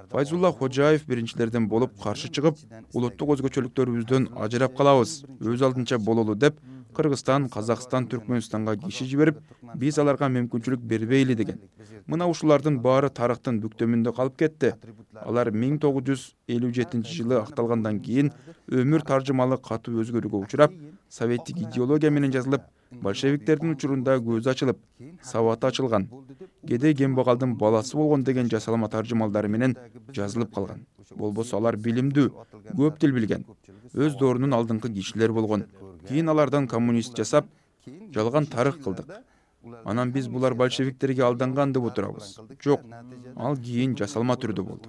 Файзулла Хожаев биринчилерден болуп каршы чыгып, улуттук өзгөчөлүктөрүбүздөн ажырап калабыз, өз алдынча бололу деп Кыргызстан, Казакстан, Түркмөнстанга киши жиберип, биз аларга мүмкүнчүлүк бербейли деген. Мына ушулардын баары тарыхтын бүктөмүндө калып кетти. Алар 1957-жылы акталгандан кийин өмүр таржымалы катуу өзгөрүүгө учурап, советтик идеология менен жазылып, большевиктердин учурунда көзү ачылып, сабаты ачылган. Кедей кембагалдын баласы болгон деген жасалма таржымалдары менен жазылып калган. Болбосо алар билимдүү, көп тил билген, өз доорунун алдыңкы кишилер болгон. Кийин алардан коммунист жасап, жалган тарых кылдык. Анан биз булар большевиктерге алданган деп отурабыз. Жок, ал кийин жасалма түрдө болду.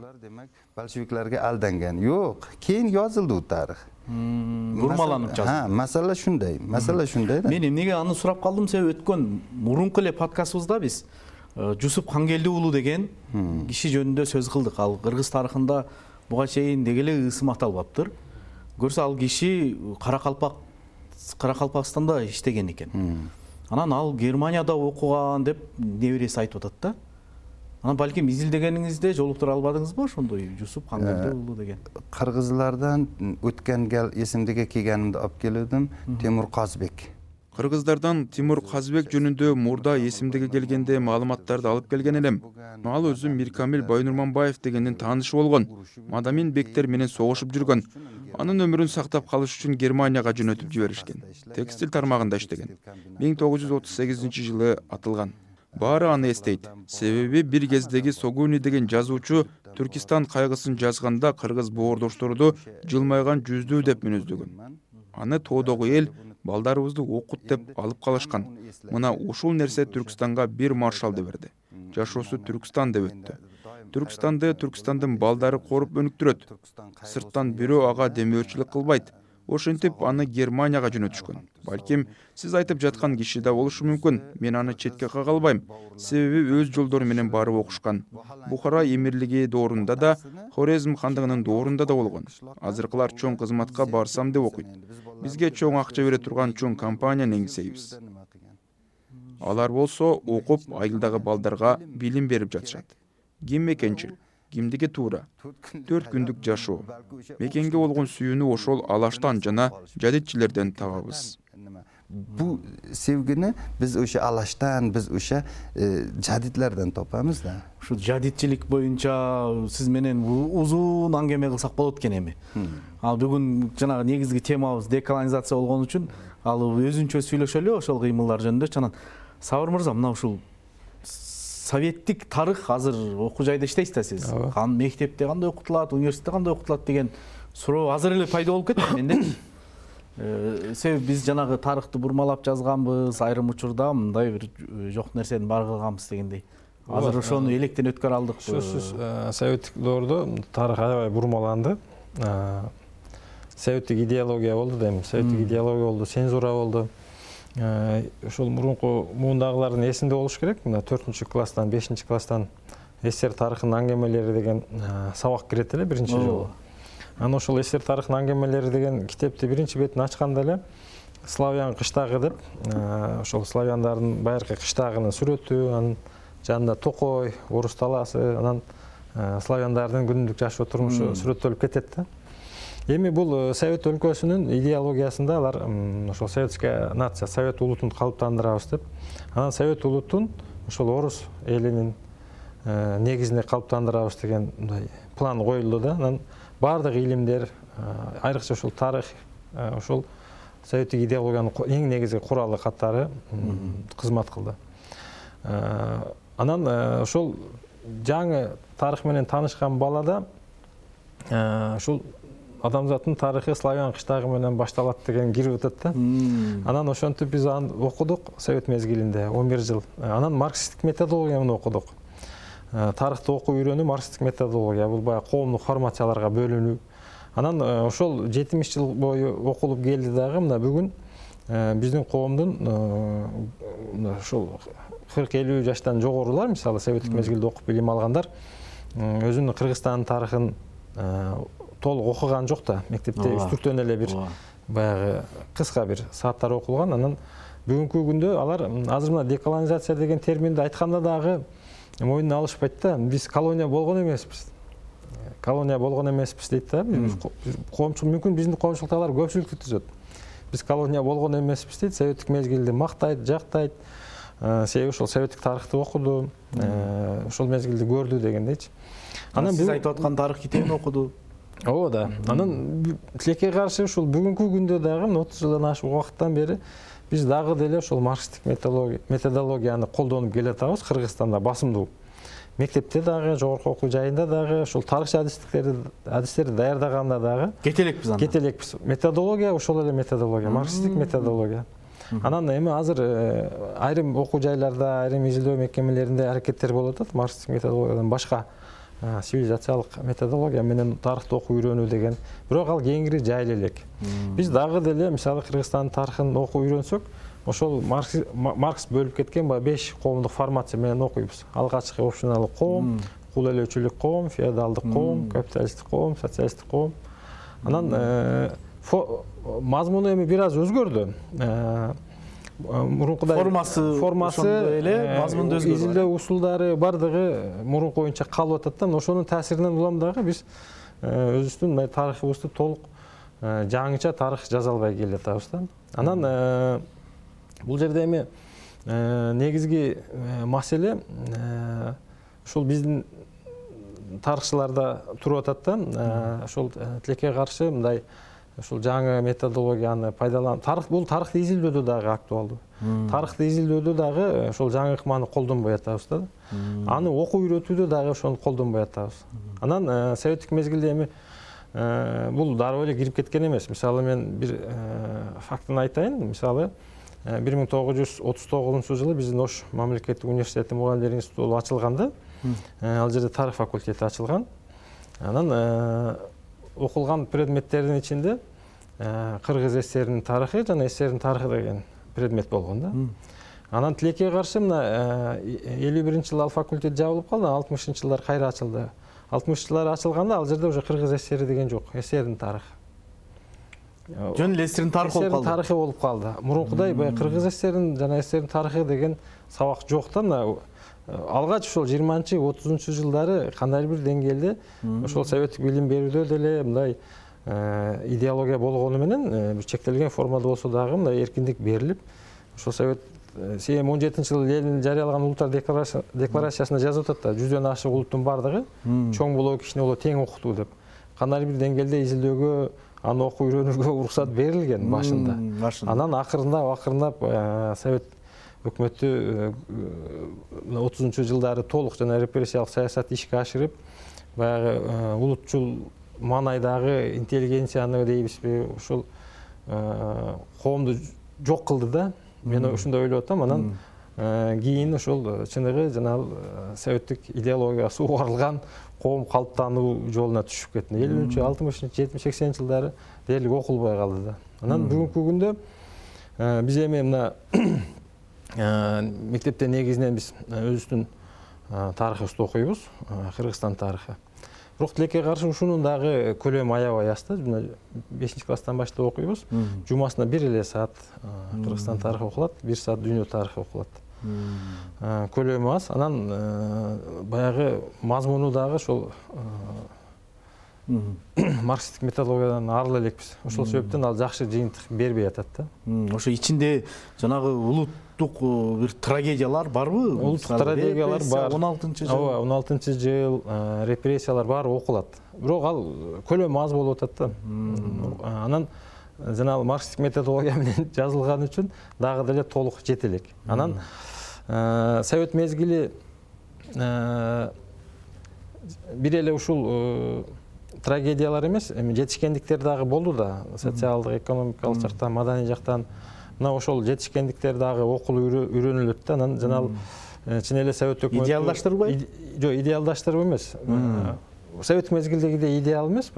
Большевиктерге алданган. Жок, кийин жазылды тарых. Бурмаланып жазылды. Масала шундай да. Мен эмнеге аны сурап калдым, себеби өткөн мурунку эле подкастыбызда биз Жусуп Хангелди уулу деген киши жөнүндө сөз кылдык. Ал кыргыз тарыхында буга чейин деги эле ысым аталбаптыр. Көрсө ал киши Каракалпакстанда иштеген экен. Анан ал Германияда окуган деп небереси айтып атат да. Анан балким изилдегениңизде жолуктура албадыңызбы ошондой Жусуп Хангелди уулу деген? Кыргызлардан өткөн гел эсимдеге келгенимде алып келдим, Темур Казбек. Кыргыздардан Тимур Казбек жөнүндө мурда эсимдеге келгенде маалыматтарды алып келген элем. Ал өзү Миркамил Байнурманбаев дегендин таанышы болгон. Мадамин бектер менен согушуп жүргөн. Анын өмүрүн сактап калыш үчүн Германияга жөнөтүп жиберишкен. Текстиль тармагында иштеген. 1938-жылы атылган. Баары аны эстейт. Себеби бир кездеги Согуни деген жазуучу Түркистан кайгысын жазганда кыргыз боордошторду жылмайган жүздүү деп мүнөздөгөн. Аны тоодогу эл балдарыбызды окут деп алып калышкан. Мына ушул нерсе Түркстанга бир маршалды берди. Жашоосу Түркстан деп өттү. Түркстандын балдары коруп өнүктүрөт. Сырттан бирөө ага демөөрчүлүк кылбайт. Ошентип аны Германияга жөнөтүшкөн. Балким сиз айтып жаткан киши да болушу мүмкүн. Мен аны четке кага албайм. Себеби өз жолдору менен барып окушкан. Бухара эмирлиги доорунда да, Хорезм хандыгынын доорунда да болгон. Азыркылар чоң кызматка барсам деп окуйт. Бизге чоң акча бере турган чоң компанияны эңсейбиз. Алар болсо окуп айылдагы балдарга билим берип жатышат. Ким мекенчил, кимдиги туура. 4 күндүк жашоо. Мекенге болгон сүйүүнү ошол алаштан жана жадитчилерден табабыз. Бу sevgini biz o'sha alashdan, biz o'sha jadidlardan topamiz da. Ушу жадитчилик боюнча сиз менен узун аңгеме кылсак болот экен эми. Ал бүгүн жанагы негизги темабыз деколонизация болгон үчүн ал өзүнчө сүйлөшөлү ошол кыймылдар жөнүндө. Чанан Сабыр мырза, мына ушул советтик тарых азыр окуу жайда иштейсиз да сиз. Мектепте кандай окутулат, университетте кандай окутулат деген суроо азыр эле пайда болуп кетти менде. Себеби биз жанагы тарыхты бурмалап жазганбыз, айрым учурда мындай бир жок нерсени бар кылганбыз дегендей. Азыр ошону электен өткөрө алдык. Сөзсүз советтик доордо тарых аябай бурмаланды. Советтик идеология болду дейм. Советтик идеология болду, цензура болду. Ошол мурунку муундагылардын эсинде болуш керек. Мына 4-класстан, 5-класстан СССР тарыхынын аңгемелери деген сабак кирет эле биринчи жолу. Анан ошол СССР тарыхынын аңгемелери деген китепти биринчи бетин ачканда эле Славян кыштагы деп, ошол славяндардын байыркы кыштагынын сүрөтү, анын жанында токой, орус талаасы, анан славяндардын күнүмдүк жашоо турмушу сүрөттөлүп кетет да. Эми бул Совет өлкөсүнүн идеологиясында алар ошол советская нация, Совет улутун калыптандырабыз деп, анан Совет улутун ошол орус элинин негизинде калыптандырабыз деген мындай план коюлду да. Анан бардык илимдер, айрыкча ошол тарых, ошол советтик идеологиянын эң негизги куралы катары кызмат кылды. Анан ошол жаңы тарых менен таанышкан балада ушул адамзаттын тарыхы славян кыштагы менен башталат деген кирип өтөт да. Анан ошентип биз аны окудук совет мезгилинде 11 жыл. Анан марксисттик методологияны окудук. тарыхты окуу үйрөнүү, марксисттик методология, бул баягы коомдук формацияларга бөлүнүү. Анан ошол 70 жыл бою окулуп келди дагы мына бүгүн биздин коомдун ушул 40-50 жаштан жогорулар, мисалы советтик мезгилде окуп билим алгандар өзүнүн Кыргызстандын тарыхын толук окуган жок да. Мектепте үстүртөн эле бир баягы кыска бир сааттар окулган. Анан бүгүнкү күндө алар азыр мына деколонизация деген терминди айтканда дагы мойнуна алышпайт да. Биз колония болгон эмеспиз. Колония болгон эмеспиз дейт да. Коомчулук мүмкүн биздин коомчулуктагылар көпчүлүктү түзөт. Биз колония болгон эмеспиз дейт. Советтик мезгилди мактайт, жактайт. Себеби ошол советтик тарыхты окуду, ошол мезгилди көрдү дегендейчи. Анан сиз айтып аткан тарых китебин окуду. Ооба да. Анан тилекке каршы ушул бүгүнкү күндө дагы 30 жылдан ашык убакыттан бери биз дагы деле ошол марксисттик методологияны колдонуп келатабыз Кыргызстанда басымдуу. Мектепте дагы, жогорку окуу жайында дагы, ошол тарыхчы адистерди даярдаганда дагы кетелекпиз анда. Кетелекпиз. Методология ошол эле методология, марксисттик методология. Анан эми азыр айрым окуу жайларда, айрым изилдөө мекемелеринде аракеттер болуп атат марксисттик методологиядан башка цивилизациялык методология менен тарыхты окуу үйрөнүү деген. Бирок ал кеңири жайыл элек. Биз дагы деле мисалы Кыргызстандын тарыхын окуу үйрөнсөк, ошол Маркс бөлүп кеткен 5 коомдук формация менен окуйбуз. Алгачкы общиналык коом, кул ээлөөчүлүк коом, феодалдык коом, капиталисттик коом, социалисттик коом. Анан мазмуну эми бир аз өзгөрдү. Мурункудай формасы эле мазмунду өзгөрдү. Изилдөө усулдары бардыгы мурунку боюнча калып атат да. Ошонун таасиринен улам дагы биз өзүбүздүн тарыхыбызды толук жаңыча тарых жаза албай келатабыз да. Анан бул жерде эми негизги маселе ушул биздин тарыхчыларда туруп атат да. Ошол тилекке каршы мындай ошол жаңы методологияны пайдаланып, бул тарыхты изилдөөдө дагы актуалдуу. Тарыхты изилдөөдө дагы ошол жаңы ыкманы колдонбой атабыз да. Аны окуу үйрөтүүдө дагы ошону колдонбой атабыз. Анан советтик мезгилде эми бул дароо эле кирип кеткен эмес. Мисалы мен бир фактын айтайын. Мисалы 1939-жылы биздин Ош мамлекеттик университети мугалимдер институту ачылганда, ал жерде тарых факультети ачылган. Анан окулган предметтердин ичинде Кыргыз ССРинин тарыхы жана ССРдин тарыхы деген предмет болгон да. Анан тилекке каршы мына 51-жылы ал факультет жабылып калды, 60-жылдар кайра ачылды. 60-жылдар ачылганда ал жерде уже Кыргыз ССРи деген жок, ССРдин тарыхы. Жөн эле ССРдин тарыхы болуп калды. Тарыхы болуп калды. Мурункудай Кыргыз ССРинин жана ССРдин тарыхы деген сабак жок да. Мына алгач ошол 20-30 жылдары кандайдыр бир деңгээлде ошол советтик билим берүүдө деле мындай идеология болгону менен бир чектелген формада болсо дагы мындай эркиндик берилип, ошол совет 17-жылы Ленин жарыялаган улуттар декларациясында жазып атат да, 100дөн ашык улуттун бардыгы чоң болобу, кичине болобу тең окутуу деп. Кандайдыр бир деңгээлде изилдөөгө, аны окуу үйрөнүүгө уруксат берилген башында. Анан акырындап совет өкмөтү 30-жылдары толук жана репрессиялык саясат ишке ашырып, баягы улутчул маанайдагы интеллигенцияны дейбизби, ушул коомду жок кылды да. Мен ушундай ойлоп атам. Анан кийин ошол чыныгы жана советтик идеологиясы угарылган коом калыптануу жолуна түшүп кетти. 50-60, 70, 80 жылдары дээрлик окулбай калды да. Анан бүгүнкү күндө биз эми мына мектепте негизинен биз өзүбүздүн тарыхыбызды окуйбуз, Кыргызстан тарыхы. Бирок тилекке каршы ушунун дагы көлөмү аябай аз да. 5-класстан баштап окуйбуз. Жумасына 1 эле саат Кыргызстан тарыхы окулат, 1 саат дүйнө тарыхы окулат. Көлөмү аз. Анан баягы мазмуну дагы ошол марксисттик методологиядан арыла элекпиз. Ошол себептен ал жакшы жыйынтык бербей атат да. Ошо ичинде жанагы улуттук бир трагедиялар барбы? Улуттук трагедиялар бар. 16-жыл. Ооба, 16-жыл репрессиялар бар окулат. Бирок ал көлөмү аз болуп атат да. Анан жана марксисттик методология менен жазылган үчүн дагы деле толук жете элек. Анан совет мезгили бир эле ушул трагедиялар эмес, эми жетишкендиктер дагы болду да. Социалдык, экономикалык жактан, маданий жактан мына ошол жетишкендиктер дагы окулуп үйрөнүлөт да. Анан жана чын эле совет өкмөтү идеалдаштырбайбы? Жок, идеалдаштырып эмес. Совет мезгилдегидей идеал эмес,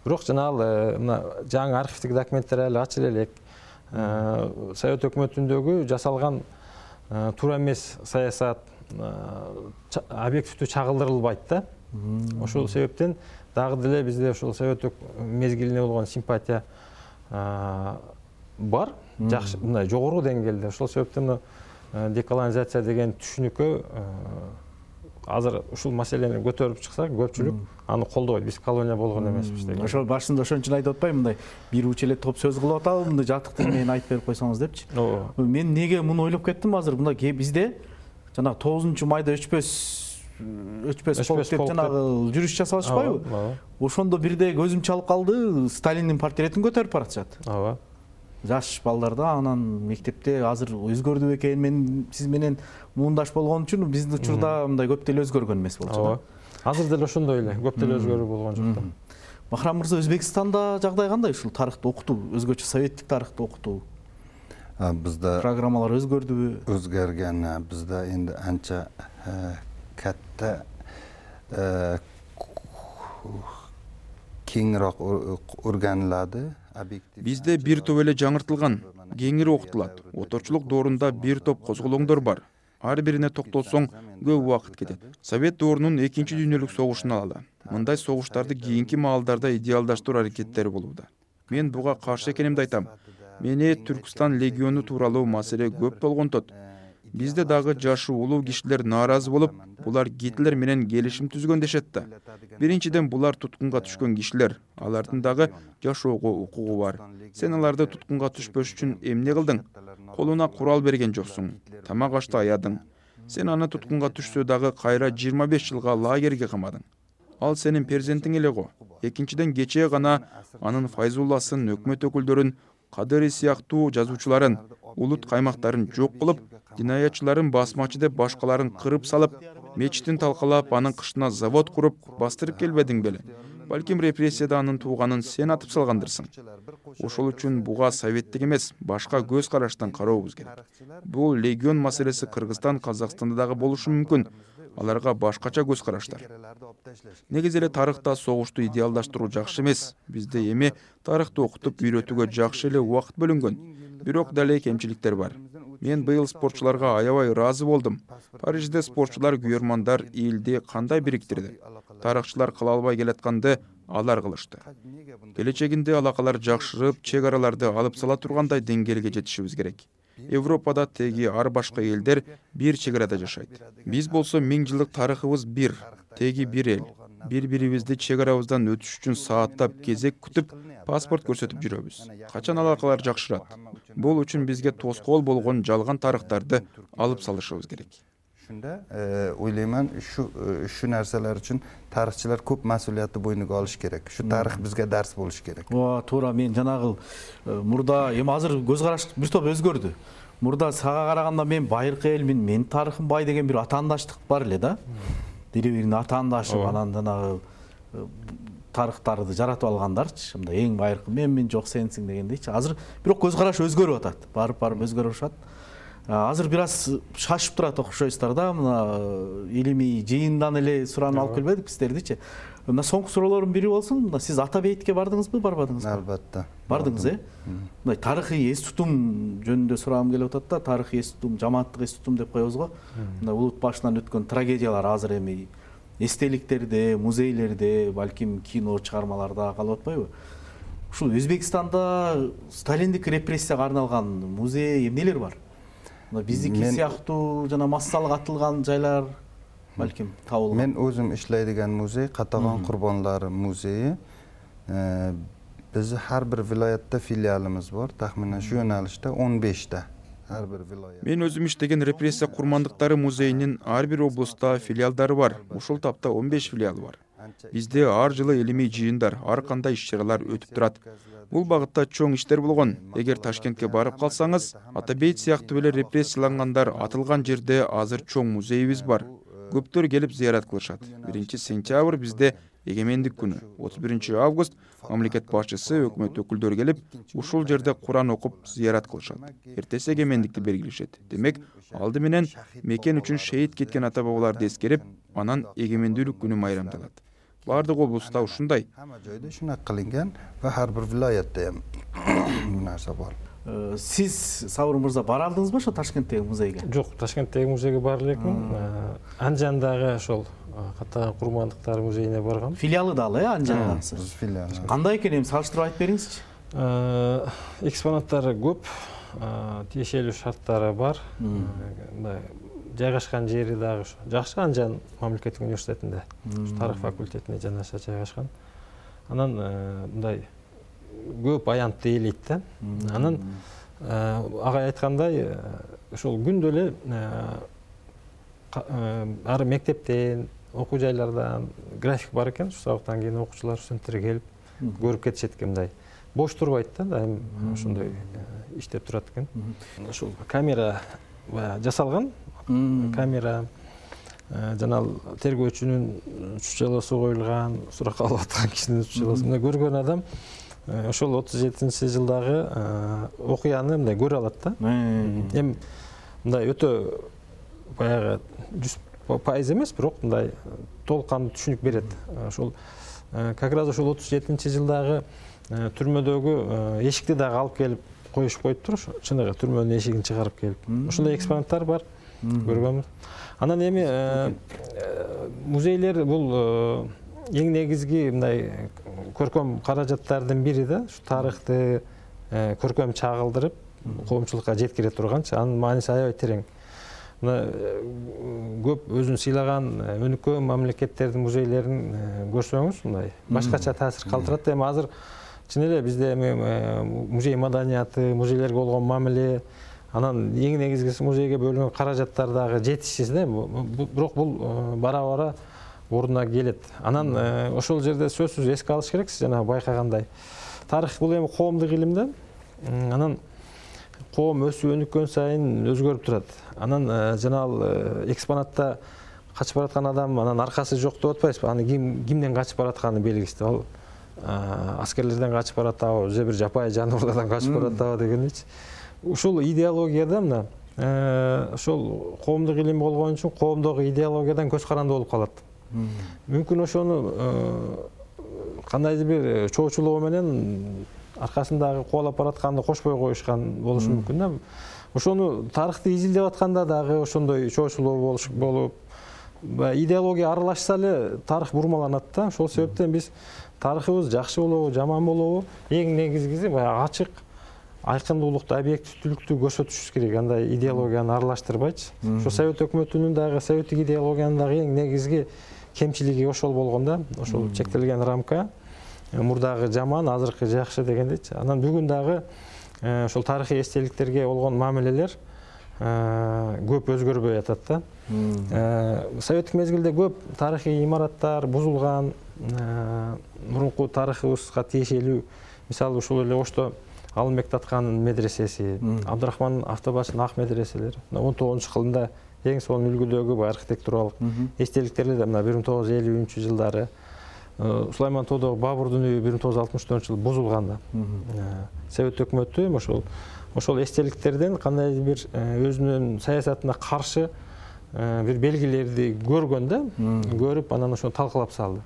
бирок жанагы мына жаңы архивдик документтер эле ачыла элек. Совет өкмөтүндөгү жасалган туура эмес саясат объективдүү чагылдырылбайт да. Ошол себептен дагы деле бизде ошол совет мезгилине болгон симпатия бар, жакшы, мындай жогору деңгээлде. Ошол себептен деколонизация деген түшүнүккө азыр ушул маселени көтөрүп чыксак, көпчүлүк аны колдобойт. Биз колония болгон эмеспиз деген. Ошол башында ошон үчүн айтып атпаймынбы, мындай бир уч эле топ сөз кылып атабы, мындай жатык тил менен айтып берип койсоңуз депчи. Мен неге муну ойлоп кеттим азыр, мындай бизде жанагы 9 майда өчпөс полк деп жанагы жүрүш жасабашпайбы? Ошондо бирде көзүм чалып калды, Сталиндин портретин көтөрүп баратышат. Ооба. Жаш балдарда, анан мектепте азыр өзгөрдү бекен, мен сиз менен мундаш болгон үчүн биздин учурда мындай көп деле өзгөргөн эмес болчу да. Азыр деле ошондой эле, көп деле өзгөрүү болгон жок да. Бахрам мырза, Өзбекстанда жагдай кандай ушул тарыхты окутуу, өзгөчө советтик тарыхты окутуу? Бизде программалар өзгөрдүбү? Өзгөргөн. Бизде энди анча катта кеңирөөк өргөнүлөдү. Бизде бир топ эле жаңыртылган, кеңири окутулат. Отурчулук доорунда бир топ козголоңдор бар. Ар бирине токтолсоң көп убакыт кетет. Совет доорунун 2 дүйнөлүк согушун алалы. Мындай согуштарды кийинки маалдарда идеалдаштыруу аракеттери болууда. Мен буга каршы экенимди айтам. Мени Түркстан легиону тууралуу маселе көп болгонтот. Бизде дагы жашы улуу кишилер нааразы болуп, булар Гитлер менен келишим түзгөн дешет да. Биринчиден, булар туткунга түшкөн кишилер, алардын дагы жашоого укугу бар. Сен аларды туткунга түшпөш үчүн эмне кылдың? Колуна курал берген жоксуң, тамак ашты аядың. Сен аны туткунга түшсө дагы кайра 25 жылга лагерге камадың. Ал сенин перзентиң эле го. Экинчиден, кечээ гана анын Файзулласын, өкмөт өкүлдөрүн, Кадыри сыяктуу жазуучуларын, улут каймактарын жок кылып, динаятчыларын басмачы деп башкаларын кырып салып, мечитин талкалап, анын кышына завод куруп, бастырып келбедиң беле? Балким репрессияда анын тууганын сен атып салгандырсың. Ошол үчүн буга советтик эмес, башка көз караштан карообуз керек. Бул легион маселеси Кыргызстан, Казакстанда дагы болушу мүмкүн. Аларга башкача көз караштар. Негизи эле тарыхта согушту идеалдаштыруу жакшы эмес. Бизде эми тарыхты окутуп үйрөтүүгө жакшы эле убакыт бөлүнгөн. Бирок дале кемчиликтер бар. Мен быйыл спортчуларга аябай ыраазы болдум. Парижде спортчулар күйөрмандар элди кандай бириктирди. Тарыхчылар кыла албай келатканды алар кылышты. Келечегинде алакалар жакшырып, чек араларды алып сала тургандай деңгээлге жетишибиз керек. Европада теги ар башка элдер бир чек арада жашайт. Биз болсо 1000 жылдык тарыхыбыз бир, теги бир эл. Бири-бирибизди чек арабыздан өтүш үчүн сааттап кезек күтүп, паспорт көрсөтүп жүрөбүз. Качан алакалар жакшырат? Бул үчүн бизге тоскоол болгон жалган тарыхтарды алып салышыбыз керек. Шунда ойлойман, şu нерселер үчүн тарыхчылар көп мас'улиятты бойнуга алыш керек. Şu тарых бизге дарс болуш керек. Туура, мен жанагы мурда эми азыр көз караш бир топ өзгөрдү. Мурда сага караганда мен байыркы элмин, менин тарыхым бай деген бир атаандаштык бар эле да. Бири-бирин атаандашып, анан жанагы тарыхтарды жаратып алгандарчы, мындай эң байыркы менмин, жок сенсиң дегендейчи. Азыр бирок көз караш өзгөрүп атат. Барып өзгөрүп атат. Азыр бир аз шашып турат окшойсуздар да, мына илимий жыйындан эле суранып алып келбедик сиздердичи. Мына соңку суроолордун бири болсун, мына сиз ата бейитке бардыңызбы, барбадыңызбы? Албетте. Бардыңыз, Мындай тарыхый эс тутум жөнүндө сурагым келип атат да, тарыхый эс тутум, жамааттык эс тутум деп коебуз го. Мындай улут башынан өткөн трагедиялар азыр эми эстеликтерде, музейлерде, балким кино чыгармаларда калып атпайбы? Ушул Өзбекстанда Сталиндик репрессияга арналган музей эмнелер бар? Биздики сыяктуу жана массалык атылган жайлар балким табылган. Мен өзүм иштейдиган музей Катаган курбанлары музейи. Биздин ар бир вилаятта филиалыбыз бар. Тахминен шу yo'nalishda 15 ар бир вилаят. Мен өзүм иштеген репрессия курмандыктары музейинин ар бир облустта филиалдары бар. Ушул тапта 15 филиал бар. Бизде ар жылы илимий жыйындар, ар кандай иш-чаралар өтүп турат. Бул багытта чоң иштер болгон. Эгер Ташкентке барып калсаңыз, Атабейт сыяктуу эле репрессиялангандар атылган жерде азыр чоң музейибиз бар. Көптөр келип зыярат кылышат. 1 сентябрь бизде эгемендик күнү 31 август мамлекет башчысы, өкмөт өкүлдөрү келип, ушул жерде Куран окуп зыярат кылышат. Эртеси эгемендикти белгилешет. Демек, алды менен мекен үчүн шейит кеткен ата бабаларды эскерип, анан эгемендүүлүк күнү майрамдалат. Бардык облуста ушундай. Hamma joyda shunaqa qilingan va har bir viloyatda ham bu narsa bor. Сиз Сабыр мырза бара алдыңызбы ошо Ташкенттеги музейге? Жок, Ташкенттеги музейге бара элекмин. Анжандагы ошол Каттаган курмандыктар музейине баргам. Филиалы да ал, Анжандагысы. Biz filial. Кандай экен, эми салыштырып айтып бериңизчи. Экспонаттары көп, тиешелүү шарттары бар. Жайгашкан жери дагы жакшы, Анжан мамлекеттик университетинде, тарых факультетине жанаша жайгашкан. Анан мындай көп аянтты ээлейт да. Анан агай айткандай, ошол күндө эле ар мектептен, окуу жайлардан график бар экен. Ушу сабактан кийин окуучулар, студенттер келип көрүп кетишет экен, мындай. Бош турбайт да, дайым ошондой иштеп турат экен. Ошол камера жасалган, камера жана тергөөчүнүн чучалоосу коюлган, сурак алып аткан кишинин чучалоосу. Мына көргөн адам ошол 37-жылдагы окуяны мындай көрө алат да. Эми мындай өтө баягы 100% эмес, бирок мындай толук кандуу түшүнүк берет. Ошол как раз ошол 37-жылдагы түрмөдөгү эшикти дагы алып келип коюшуп коюптур. Чыныгы түрмөнүн эшигин чыгарып келип. Ошондой экспонаттар бар. Көргөнбүз. Анан эми музейлер бул эң негизги мындай көркөм каражаттардын бири да. Ушу тарыхты көркөм чагылдырып, коомчулукка жеткире турганчы, анын мааниси аябай терең. Мына көп өзүн сыйлаган өнүккөн мамлекеттердин музейлерин көрсөңүз, мындай башкача таасир калтырат. Эми азыр чын эле бизде музей маданияты, музейлерге болгон мамиле, анан эң негизгиси музейге бөлүнгөн каражаттар дагы жетишсиз да. Бирок бул бара-бара ордуна келет. Анан ошол жерде сөзсүз эске алыш керек, сиз жана байкагандай. Тарых бул эми коомдук илим да. Анан коом өсүп өнүккөн сайын өзгөрүп турат. Анан жана ал экспонатта качып бараткан адам анан аркасы жок деп атпайсызбы? Аны кимден качып баратканы белгисиз. Ал аскерлерден качып баратабы, же бир жапайы жаныбарлардан качып баратабы дегеничи. Ушул идеологияда мына ошол коомдук илим болгон үчүн коомдогу идеологиядан көз каранды болуп калат. Мүмкүн ошону кандайдыр бир чоочулоо менен аркасындагы кубалап баратканды кошпой коюшкан болушу мүмкүн да. Ошону тарыхты изилдеп атканда дагы ошондой чоочулоо болуп, идеология аралашса эле тарых бурмаланат да. Ошол себептен биз тарыхыбыз жакшы болобу, жаман болобу, эң негизгиси баягы ачык, айкындуулукту, объективдүүлүктү көрсөтүшүбүз керек. Андай идеологияны аралаштырбайчы. Ошо Совет өкмөтүнүн дагы, советтик идеологиянын дагы эң негизги кемчилиги ошол болгон да. Ошол чектелген рамка, мурдагы жаман, азыркы жакшы дегендейчи. Анан бүгүн дагы ошол тарыхый эстеликтерге болгон мамилелер көп өзгөрбөй атат да. Советтик мезгилде көп тарыхый имараттар бузулган, мурунку тарыхыбызга тиешелүү, мисалы ушул эле Ошто Алымбек Таткандын медресеси, Абдырахман Автобашынын ак медреселери 19-кылымда эң сонун үлгүдөгү архитектуралык эстеликтерди мына 1950-жылдары Сулайман Тодо Бабурдун үйү 1964-жылы бузулган да. Совет өкмөтү ошол эстеликтерден кандайдыр бир өзүнүн саясатына каршы бир белгилерди көргөн да, көрүп анан ошону талкалап салды.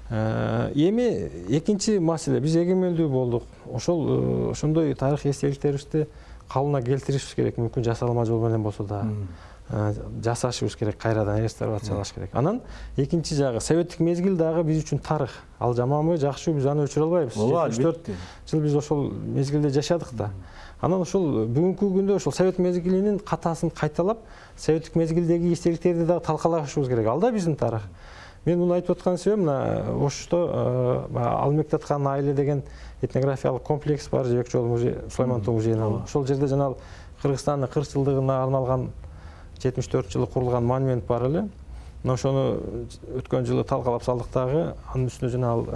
Эми экинчи маселе, биз эгемендүү болдук. Ошондой тарых эстеликтерибизди калыбына келтиришибиз керек. Мүмкүн жасалма жол менен болсо да жасашыбыз керек, кайрадан реставрациялаш керек. Анан экинчи жагы, советтик мезгил дагы биз үчүн тарых. Ал жаманбы, жакшыбы, биз аны өчүрө албайбыз. 74 жыл биз ошол мезгилде жашадык да. Анан ошол бүгүнкү күндө ошол совет мезгилинин катасын кайталап, советтик мезгилдеги эстеликтерди дагы талкалашыбыз керек. Ал да биздин тарых. Мен муну айтып аткан себебим, мына Ошто Алымбек Таткандын айылы деген этнографиялык комплекс бар, Жебек жолу музей, Сулайман Тоо музейинин. Ошол жерде жана Кыргызстандын 40 жылдыгына арналган 74-жылы курулган монумент бар эле. Мына ошону өткөн жылы талкалап салдык дагы, анын үстүнө жана ал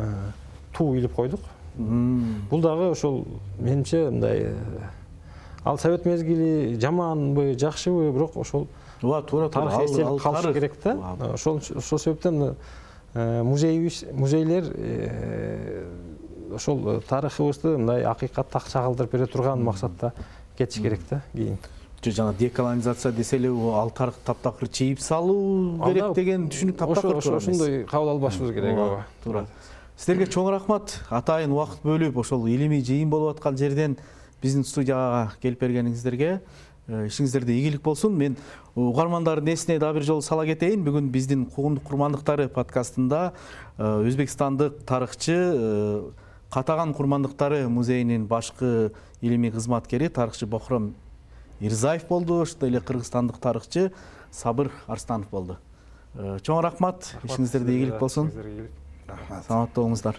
туу илип койдук. Бул дагы ошол менимче мындай ал совет мезгили жаманбы, жакшыбы, бирок ошол туура тарых эстелик калышы керек да. Ошол себептен музейлер ошол тарыхыбызды мындай акыйкатта чагылдырып бере турган максатта кетиш керек да кийин. Жана деколонизация десе эле ал тарых таптакыр чийип салуу керек деген түшүнүк таптакыр ошондой кабыл албашыбыз керек. Ооба, туура. Сиздерге чоң рахмат. Атайын убакыт бөлүп ошол илимий жыйын болуп аткан жерден биздин студияга келип бергениңиздерге ишиңиздерде ийгилик болсун. Мен угармандардын эсине дагы бир жолу сала кетейин. Бүгүн биздин Куугундук курмандыктары подкастында өзбекстандык тарыхчы Катаган курмандыктары музейинин башкы илимий кызматкери тарыхчы Бохром Ирзаев болду. Ошондой эле кыргызстандык тарыхчы Сабыр Арстанов болду. Чоң рахмат. Ишиңиздерде ийгилик болсун. Саламатта болуңуздар.